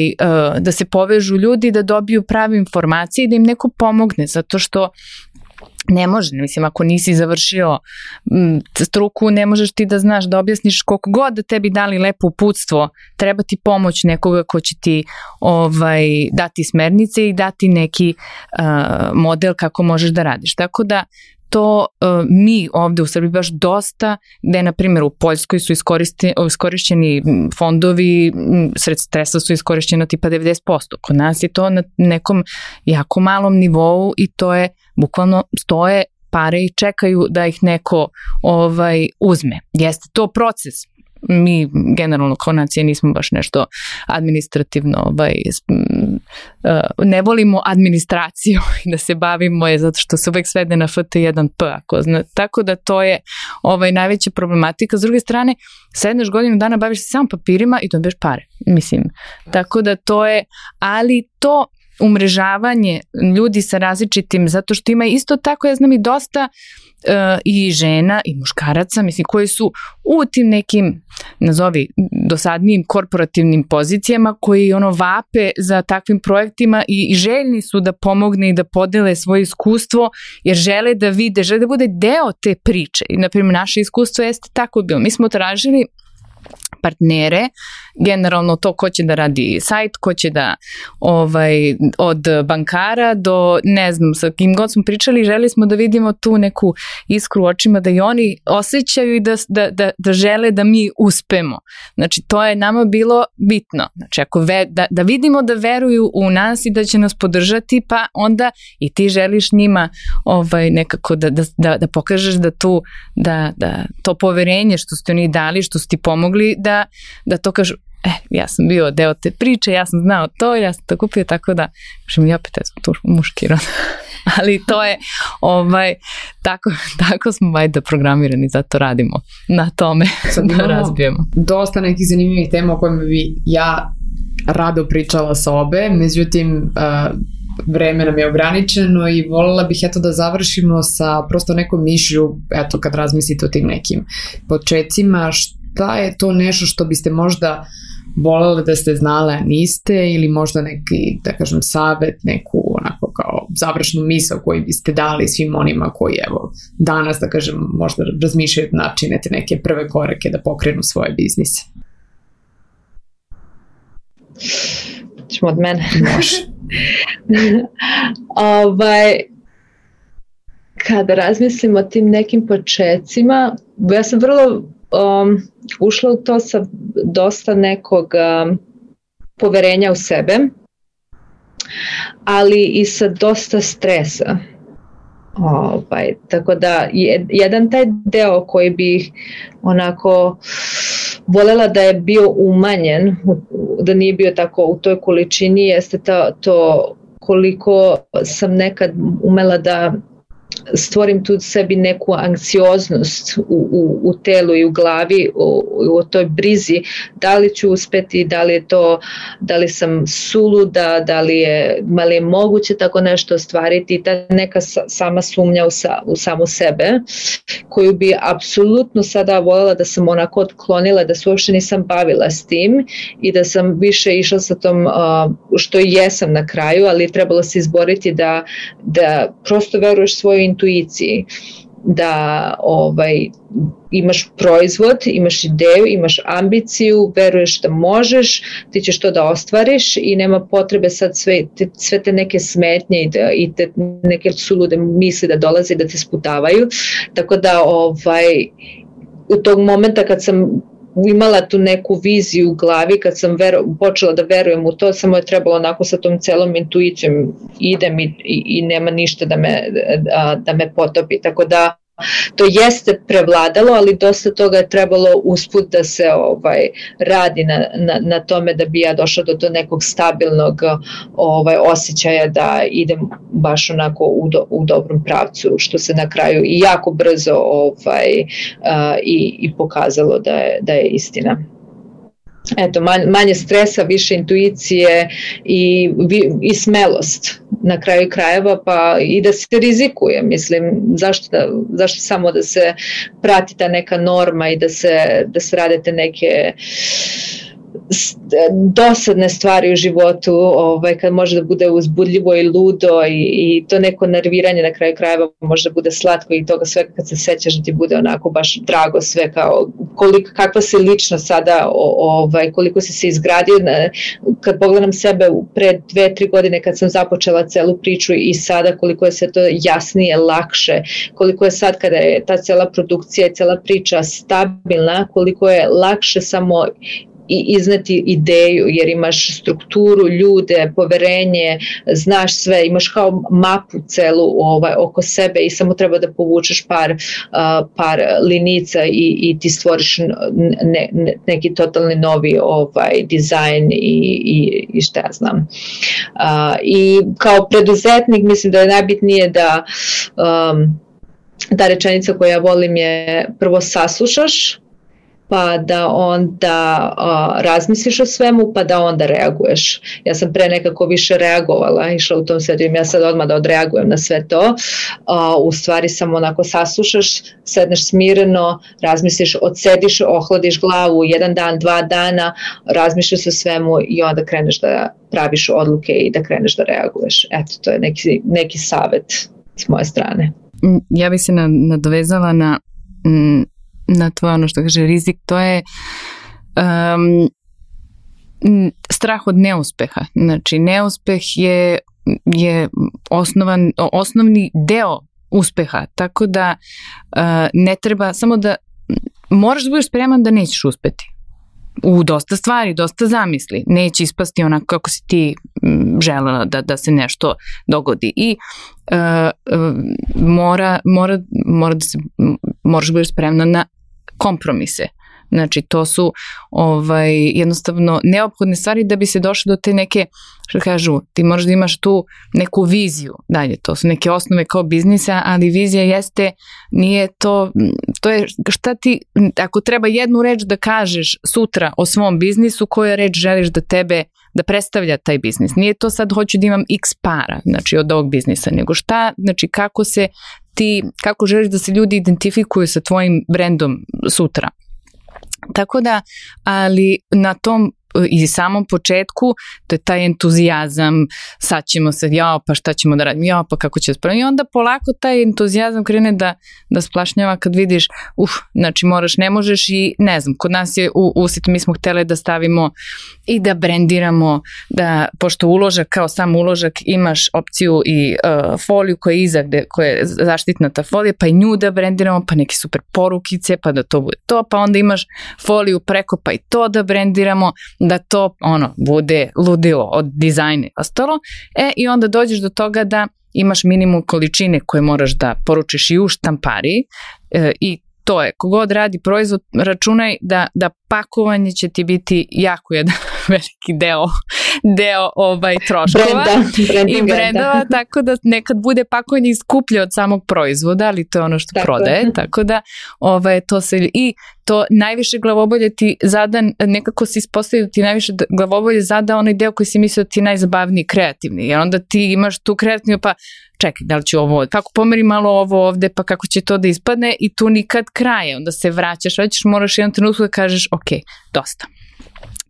da se povežu ljudi, da dobiju prave informacije i da im neko pomogne, zato što ne može, mislim, ako nisi završio m, struku, ne možeš ti da znaš, da objasniš koliko god da tebi dali lepo uputstvo, treba ti pomoć nekoga ko će ti ovaj, dati smernice i dati neki uh, model kako možeš da radiš. Tako da to uh, mi ovde u Srbiji baš dosta, gde na primjer u Poljskoj su iskorišćeni fondovi, sredstva su iskorišćena tipa devedeset posto. Kod nas je to na nekom jako malom nivou i to je bukvalno stoje pare i čekaju da ih neko ovaj, uzme. Jeste to proces. Mi generalno kao nacija nismo baš nešto administrativno, ovaj, ne volimo administraciju i da se bavimo je zato što se uvek svede na F T jedan P, ako zna. Tako da to je ovaj, najveća problematika. S druge strane, sedneš godinu dana, baviš se samo papirima i dobiješ pare, mislim. Tako da to je, ali to umrežavanje ljudi sa različitim, zato što ima isto tako, ja znam i dosta uh, i žena i muškaraca, mislim, koji su u tim nekim, nazovi, dosadnijim korporativnim pozicijama, koji ono vape za takvim projektima i, i željni su da pomogne i da podele svoje iskustvo, jer žele da vide, žele da bude deo te priče. I, na primjer, naše iskustvo jeste tako bilo. Mi smo tražili partnere, generalno to ko će da radi sajt, ko će da ovaj, od bankara do ne znam sa kim god smo pričali, želi smo da vidimo tu neku iskru u očima, da i oni osjećaju i da, da, da, da žele da mi uspemo. Znači to je nama bilo bitno. Znači ako ve, da, da vidimo da veruju u nas i da će nas podržati, pa onda i ti želiš njima ovaj, nekako da, da, da, da pokažeš da, tu, da, da to poverenje što ste oni dali, što su ti pomogli, da, da to kažu, e, ja sam bio deo te priče, ja sam znao to, ja sam to kupio, tako da, kažem, i opet, ja sam tu muški rod. Ali to je, ovaj, tako, tako smo vajda programirani, zato radimo na tome da razbijemo. Dosta nekih zanimljivih tema o kojima bi ja rado pričala sa obe, međutim, uh, vreme nam je ograničeno i voljela bih eto da završimo sa prosto nekom mišlju, eto kad razmislite o tim nekim počecima, šta je to nešto što biste možda voljeli da ste znale, a niste, ili možda neki, da kažem, savjet, neku onako kao završnu misao koju biste dali svim onima koji, evo, danas, da kažem, možda razmišljaju načinete neke prve korake da pokrenu svoje biznise. Ćemo od mene. Može. ovaj, kada razmislim o tim nekim počecima, ja sam vrlo um, ušla u to sa dosta nekog um, poverenja u sebe, ali i sa dosta stresa. Ovaj, tako da jedan taj deo koji bih onako voljela da je bio umanjen, da nije bio tako u toj količini, jeste to, to koliko sam nekad umela da stvorim tu sebi neku anksioznost u, u, u telu i u glavi, u, u toj brizi, da li ću uspeti, da li je to, da li sam suluda, da li je, da li je moguće tako nešto ostvariti, ta neka sama sumnja u, sa, u samu sebe, koju bi apsolutno sada voljela da sam onako otklonila, da se uopšte nisam bavila s tim i da sam više išla sa tom, što i jesam na kraju, ali trebalo se izboriti da, da prosto veruješ svoju intuiciji, da ovaj, imaš proizvod, imaš ideju, imaš ambiciju, veruješ da možeš, ti ćeš to da ostvariš i nema potrebe sad sve te, sve te neke smetnje i, da, i te neke sulude misli da dolaze da te sputavaju. Tako da ovaj, u tog momenta kad sam imala tu neku viziju u glavi, kad sam vero, počela da verujem u to, samo je trebalo onako sa tom celom intuicijom idem i, i, i nema ništa da me, da, da me potopi. Tako da to jeste prevladalo, ali dosta toga je trebalo usput da se ovaj, radi na, na, na tome da bi ja došla do, do nekog stabilnog ovaj, osjećaja da idem baš onako u, do, u dobrom pravcu, što se na kraju i jako brzo ovaj, uh, i, i pokazalo da je, da je istina. Eto, manje, manje stresa, više intuicije i, i smelost na kraju krajeva, pa i da se rizikuje, mislim, zašto, da, zašto samo da se prati ta neka norma i da se, da se rade te neke dosadne stvari u životu, ovaj, kad može da bude uzbudljivo i ludo i, i to neko nerviranje na kraju krajeva može da bude slatko i toga sve kad se sećaš da ti bude onako baš drago sve, kao koliko, kakva si lično sada, ovaj, koliko si se izgradio. Kad pogledam sebe pre dve, tri godine kad sam započela celu priču i sada koliko je sve to jasnije, lakše, koliko je sad kada je ta cela produkcija i cela priča stabilna, koliko je lakše samo i izneti ideju, jer imaš strukturu, ljude, poverenje, znaš sve, imaš kao mapu celu ovaj, oko sebe i samo treba da povučeš par, uh, par linica i, i ti stvoriš ne, ne, neki totalni novi ovaj, dizajn i, i, i šta ja znam. Uh, I kao preduzetnik mislim da je najbitnije da um, ta rečenica koju ja volim je prvo saslušaš, pa da onda uh, razmisliš o svemu, pa da onda reaguješ. Ja sam pre nekako više reagovala, išla u tom svetu, ja sad odmah da odreagujem na sve to. Uh, u stvari samo onako saslušaš, sedneš smireno, razmisliš, odsediš, ohladiš glavu jedan dan, dva dana, razmišljaš o svemu i onda kreneš da praviš odluke i da kreneš da reaguješ. Eto, to je neki, neki savjet s moje strane. Ja bi se nadovezala na mm, na tvoje ono što kaže rizik, to je um, strah od neuspeha. Znači neuspeh je, je osnovan, osnovni deo uspeha, tako da uh, ne treba samo da moraš da budeš spreman da nećeš uspeti u dosta stvari, dosta zamisli, neće ispasti onako kako si ti želela da, da se nešto dogodi i uh, uh, mora, mora, mora da se, moraš da budeš spremna na kompromise. Znači to su ovaj, jednostavno neophodne stvari da bi se došlo do te neke, što kažu, ti moraš da imaš tu neku viziju dalje, to su neke osnove kao biznisa, ali vizija jeste, nije to, to je šta ti, ako treba jednu reč da kažeš sutra o svom biznisu, koja reč želiš da tebe, da predstavlja taj biznis. Nije to sad hoću da imam x para, znači od ovog biznisa, nego šta, znači kako se ti, kako želiš da se ljudi identifikuju sa tvojim brendom sutra. Tako da, ali na tom i samom početku, to je taj entuzijazam, sad ćemo se, jao, pa šta ćemo da radimo, jao, pa kako će spraviti. I onda polako taj entuzijazam krene da, da splašnjava kad vidiš, uf, znači moraš, ne možeš i ne znam, kod nas je u Usit, mi smo hteli da stavimo i da brendiramo, da, pošto uložak, kao sam uložak, imaš opciju i uh, foliju koja je iza, gde, koja je zaštitna ta folija, pa i nju da brendiramo, pa neke super porukice, pa da to bude to, pa onda imaš foliju preko, pa i to da brendiramo, da to ono bude ludilo od dizajna i ostalo. E, i onda dođeš do toga da imaš minimum količine koje moraš da poručiš i u štampariji e, i to je, kogod radi proizvod, računaj da, da pakovanje će ti biti jako jedan veliki deo, deo ovaj, troškova Brenda, i brendova, da. Tako da nekad bude pakovanje skuplje od samog proizvoda, ali to je ono što tako prodaje, je. Tako da ovaj, to se i to najviše glavobolje ti zada, nekako se ispostavio da ti najviše glavobolje zada onaj deo koji si mislio da ti je najzabavniji, kreativni, jer onda ti imaš tu kreativnu, pa čekaj, da li ću ovo, kako pomeri malo ovo ovde, pa kako će to da ispadne i tu nikad kraje, onda se vraćaš, vraćaš, moraš jedan trenutku da kažeš, ok, dosta.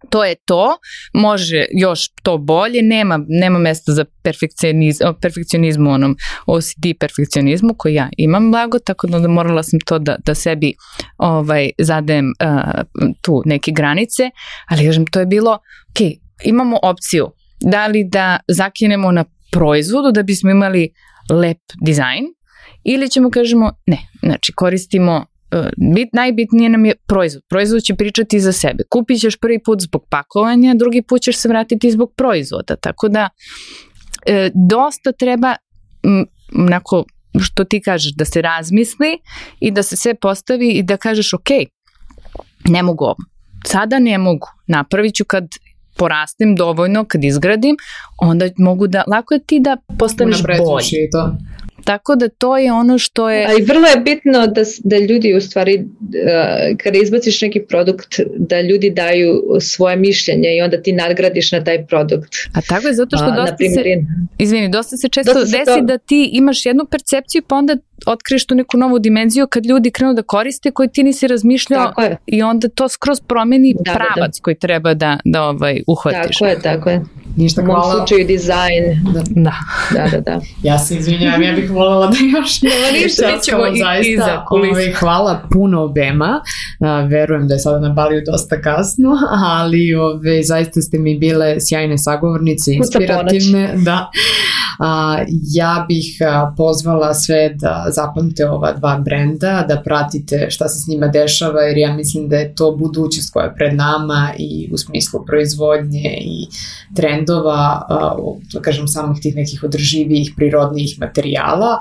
To je to, može još to bolje, nema, nema mesta za perfekcionizmu, perfekcionizmu, onom O C D perfekcionizmu koji ja imam blago, tako da morala sam to da, da sebi ovaj, zadajem uh, tu neke granice, ali kažem, to je bilo, ok, imamo opciju, da li da zakinemo na proizvodu da bismo imali lep dizajn ili ćemo kažemo ne, znači koristimo Bit, najbitnije nam je proizvod. Proizvod će pričati za sebe. Kupit ćeš prvi put zbog pakovanja, drugi put ćeš se vratiti zbog proizvoda. Tako da e, dosta treba m, onako, što ti kažeš, da se razmisli i da se sve postavi i da kažeš ok, ne mogu ovo. Sada ne mogu. Napravit ću kad porastem dovoljno, kad izgradim, onda mogu da, lako je ti da postaneš bolji. To. Tako da to je ono što je... A i vrlo je bitno da, da ljudi u stvari, uh, kada izbaciš neki produkt, da ljudi daju svoje mišljenje i onda ti nadgradiš na taj produkt. A tako je, zato što uh, dosta se... Izvini, dosta se često dosta desi to... da ti imaš jednu percepciju pa onda otkriješ tu neku novu dimenziju kad ljudi krenu da koriste koju ti nisi razmišljao i onda to skroz promeni da, pravac da, da. koji treba da, da ovaj, uhvatiš. Tako je, tako je. Ništa, u mom hvala. slučaju dizajn. Da. Da. da, da, da. Ja se izvinjavam, ja bih voljela da još ništa ćemo i iza kulisa. Hvala puno obema. Uh, verujem da je sada na Baliju dosta kasno, ali ove, zaista ste mi bile sjajne sagovornice, inspirativne. Da. Uh, ja bih uh, pozvala sve da zapamte ova dva brenda, da pratite šta se s njima dešava, jer ja mislim da je to budućnost koja je pred nama i u smislu proizvodnje i trendova, uh, da kažem, samih tih nekih održivijih, prirodnijih materijala.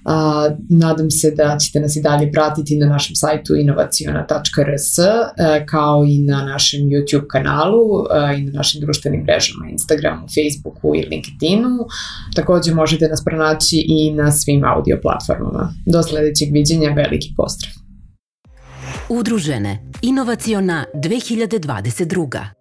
Uh, nadam se da ćete nas i dalje pratiti na našem sajtu inovaciona tačka r s, uh, kao i na našem YouTube kanalu uh, i na našim društvenim mrežama, Instagramu, Facebooku i LinkedInu. Također možete nas pronaći i na svim audio platformama. Do sledećeg viđenja, veliki pozdrav. Udružene Inovaciona dve hiljade dvadeset druga.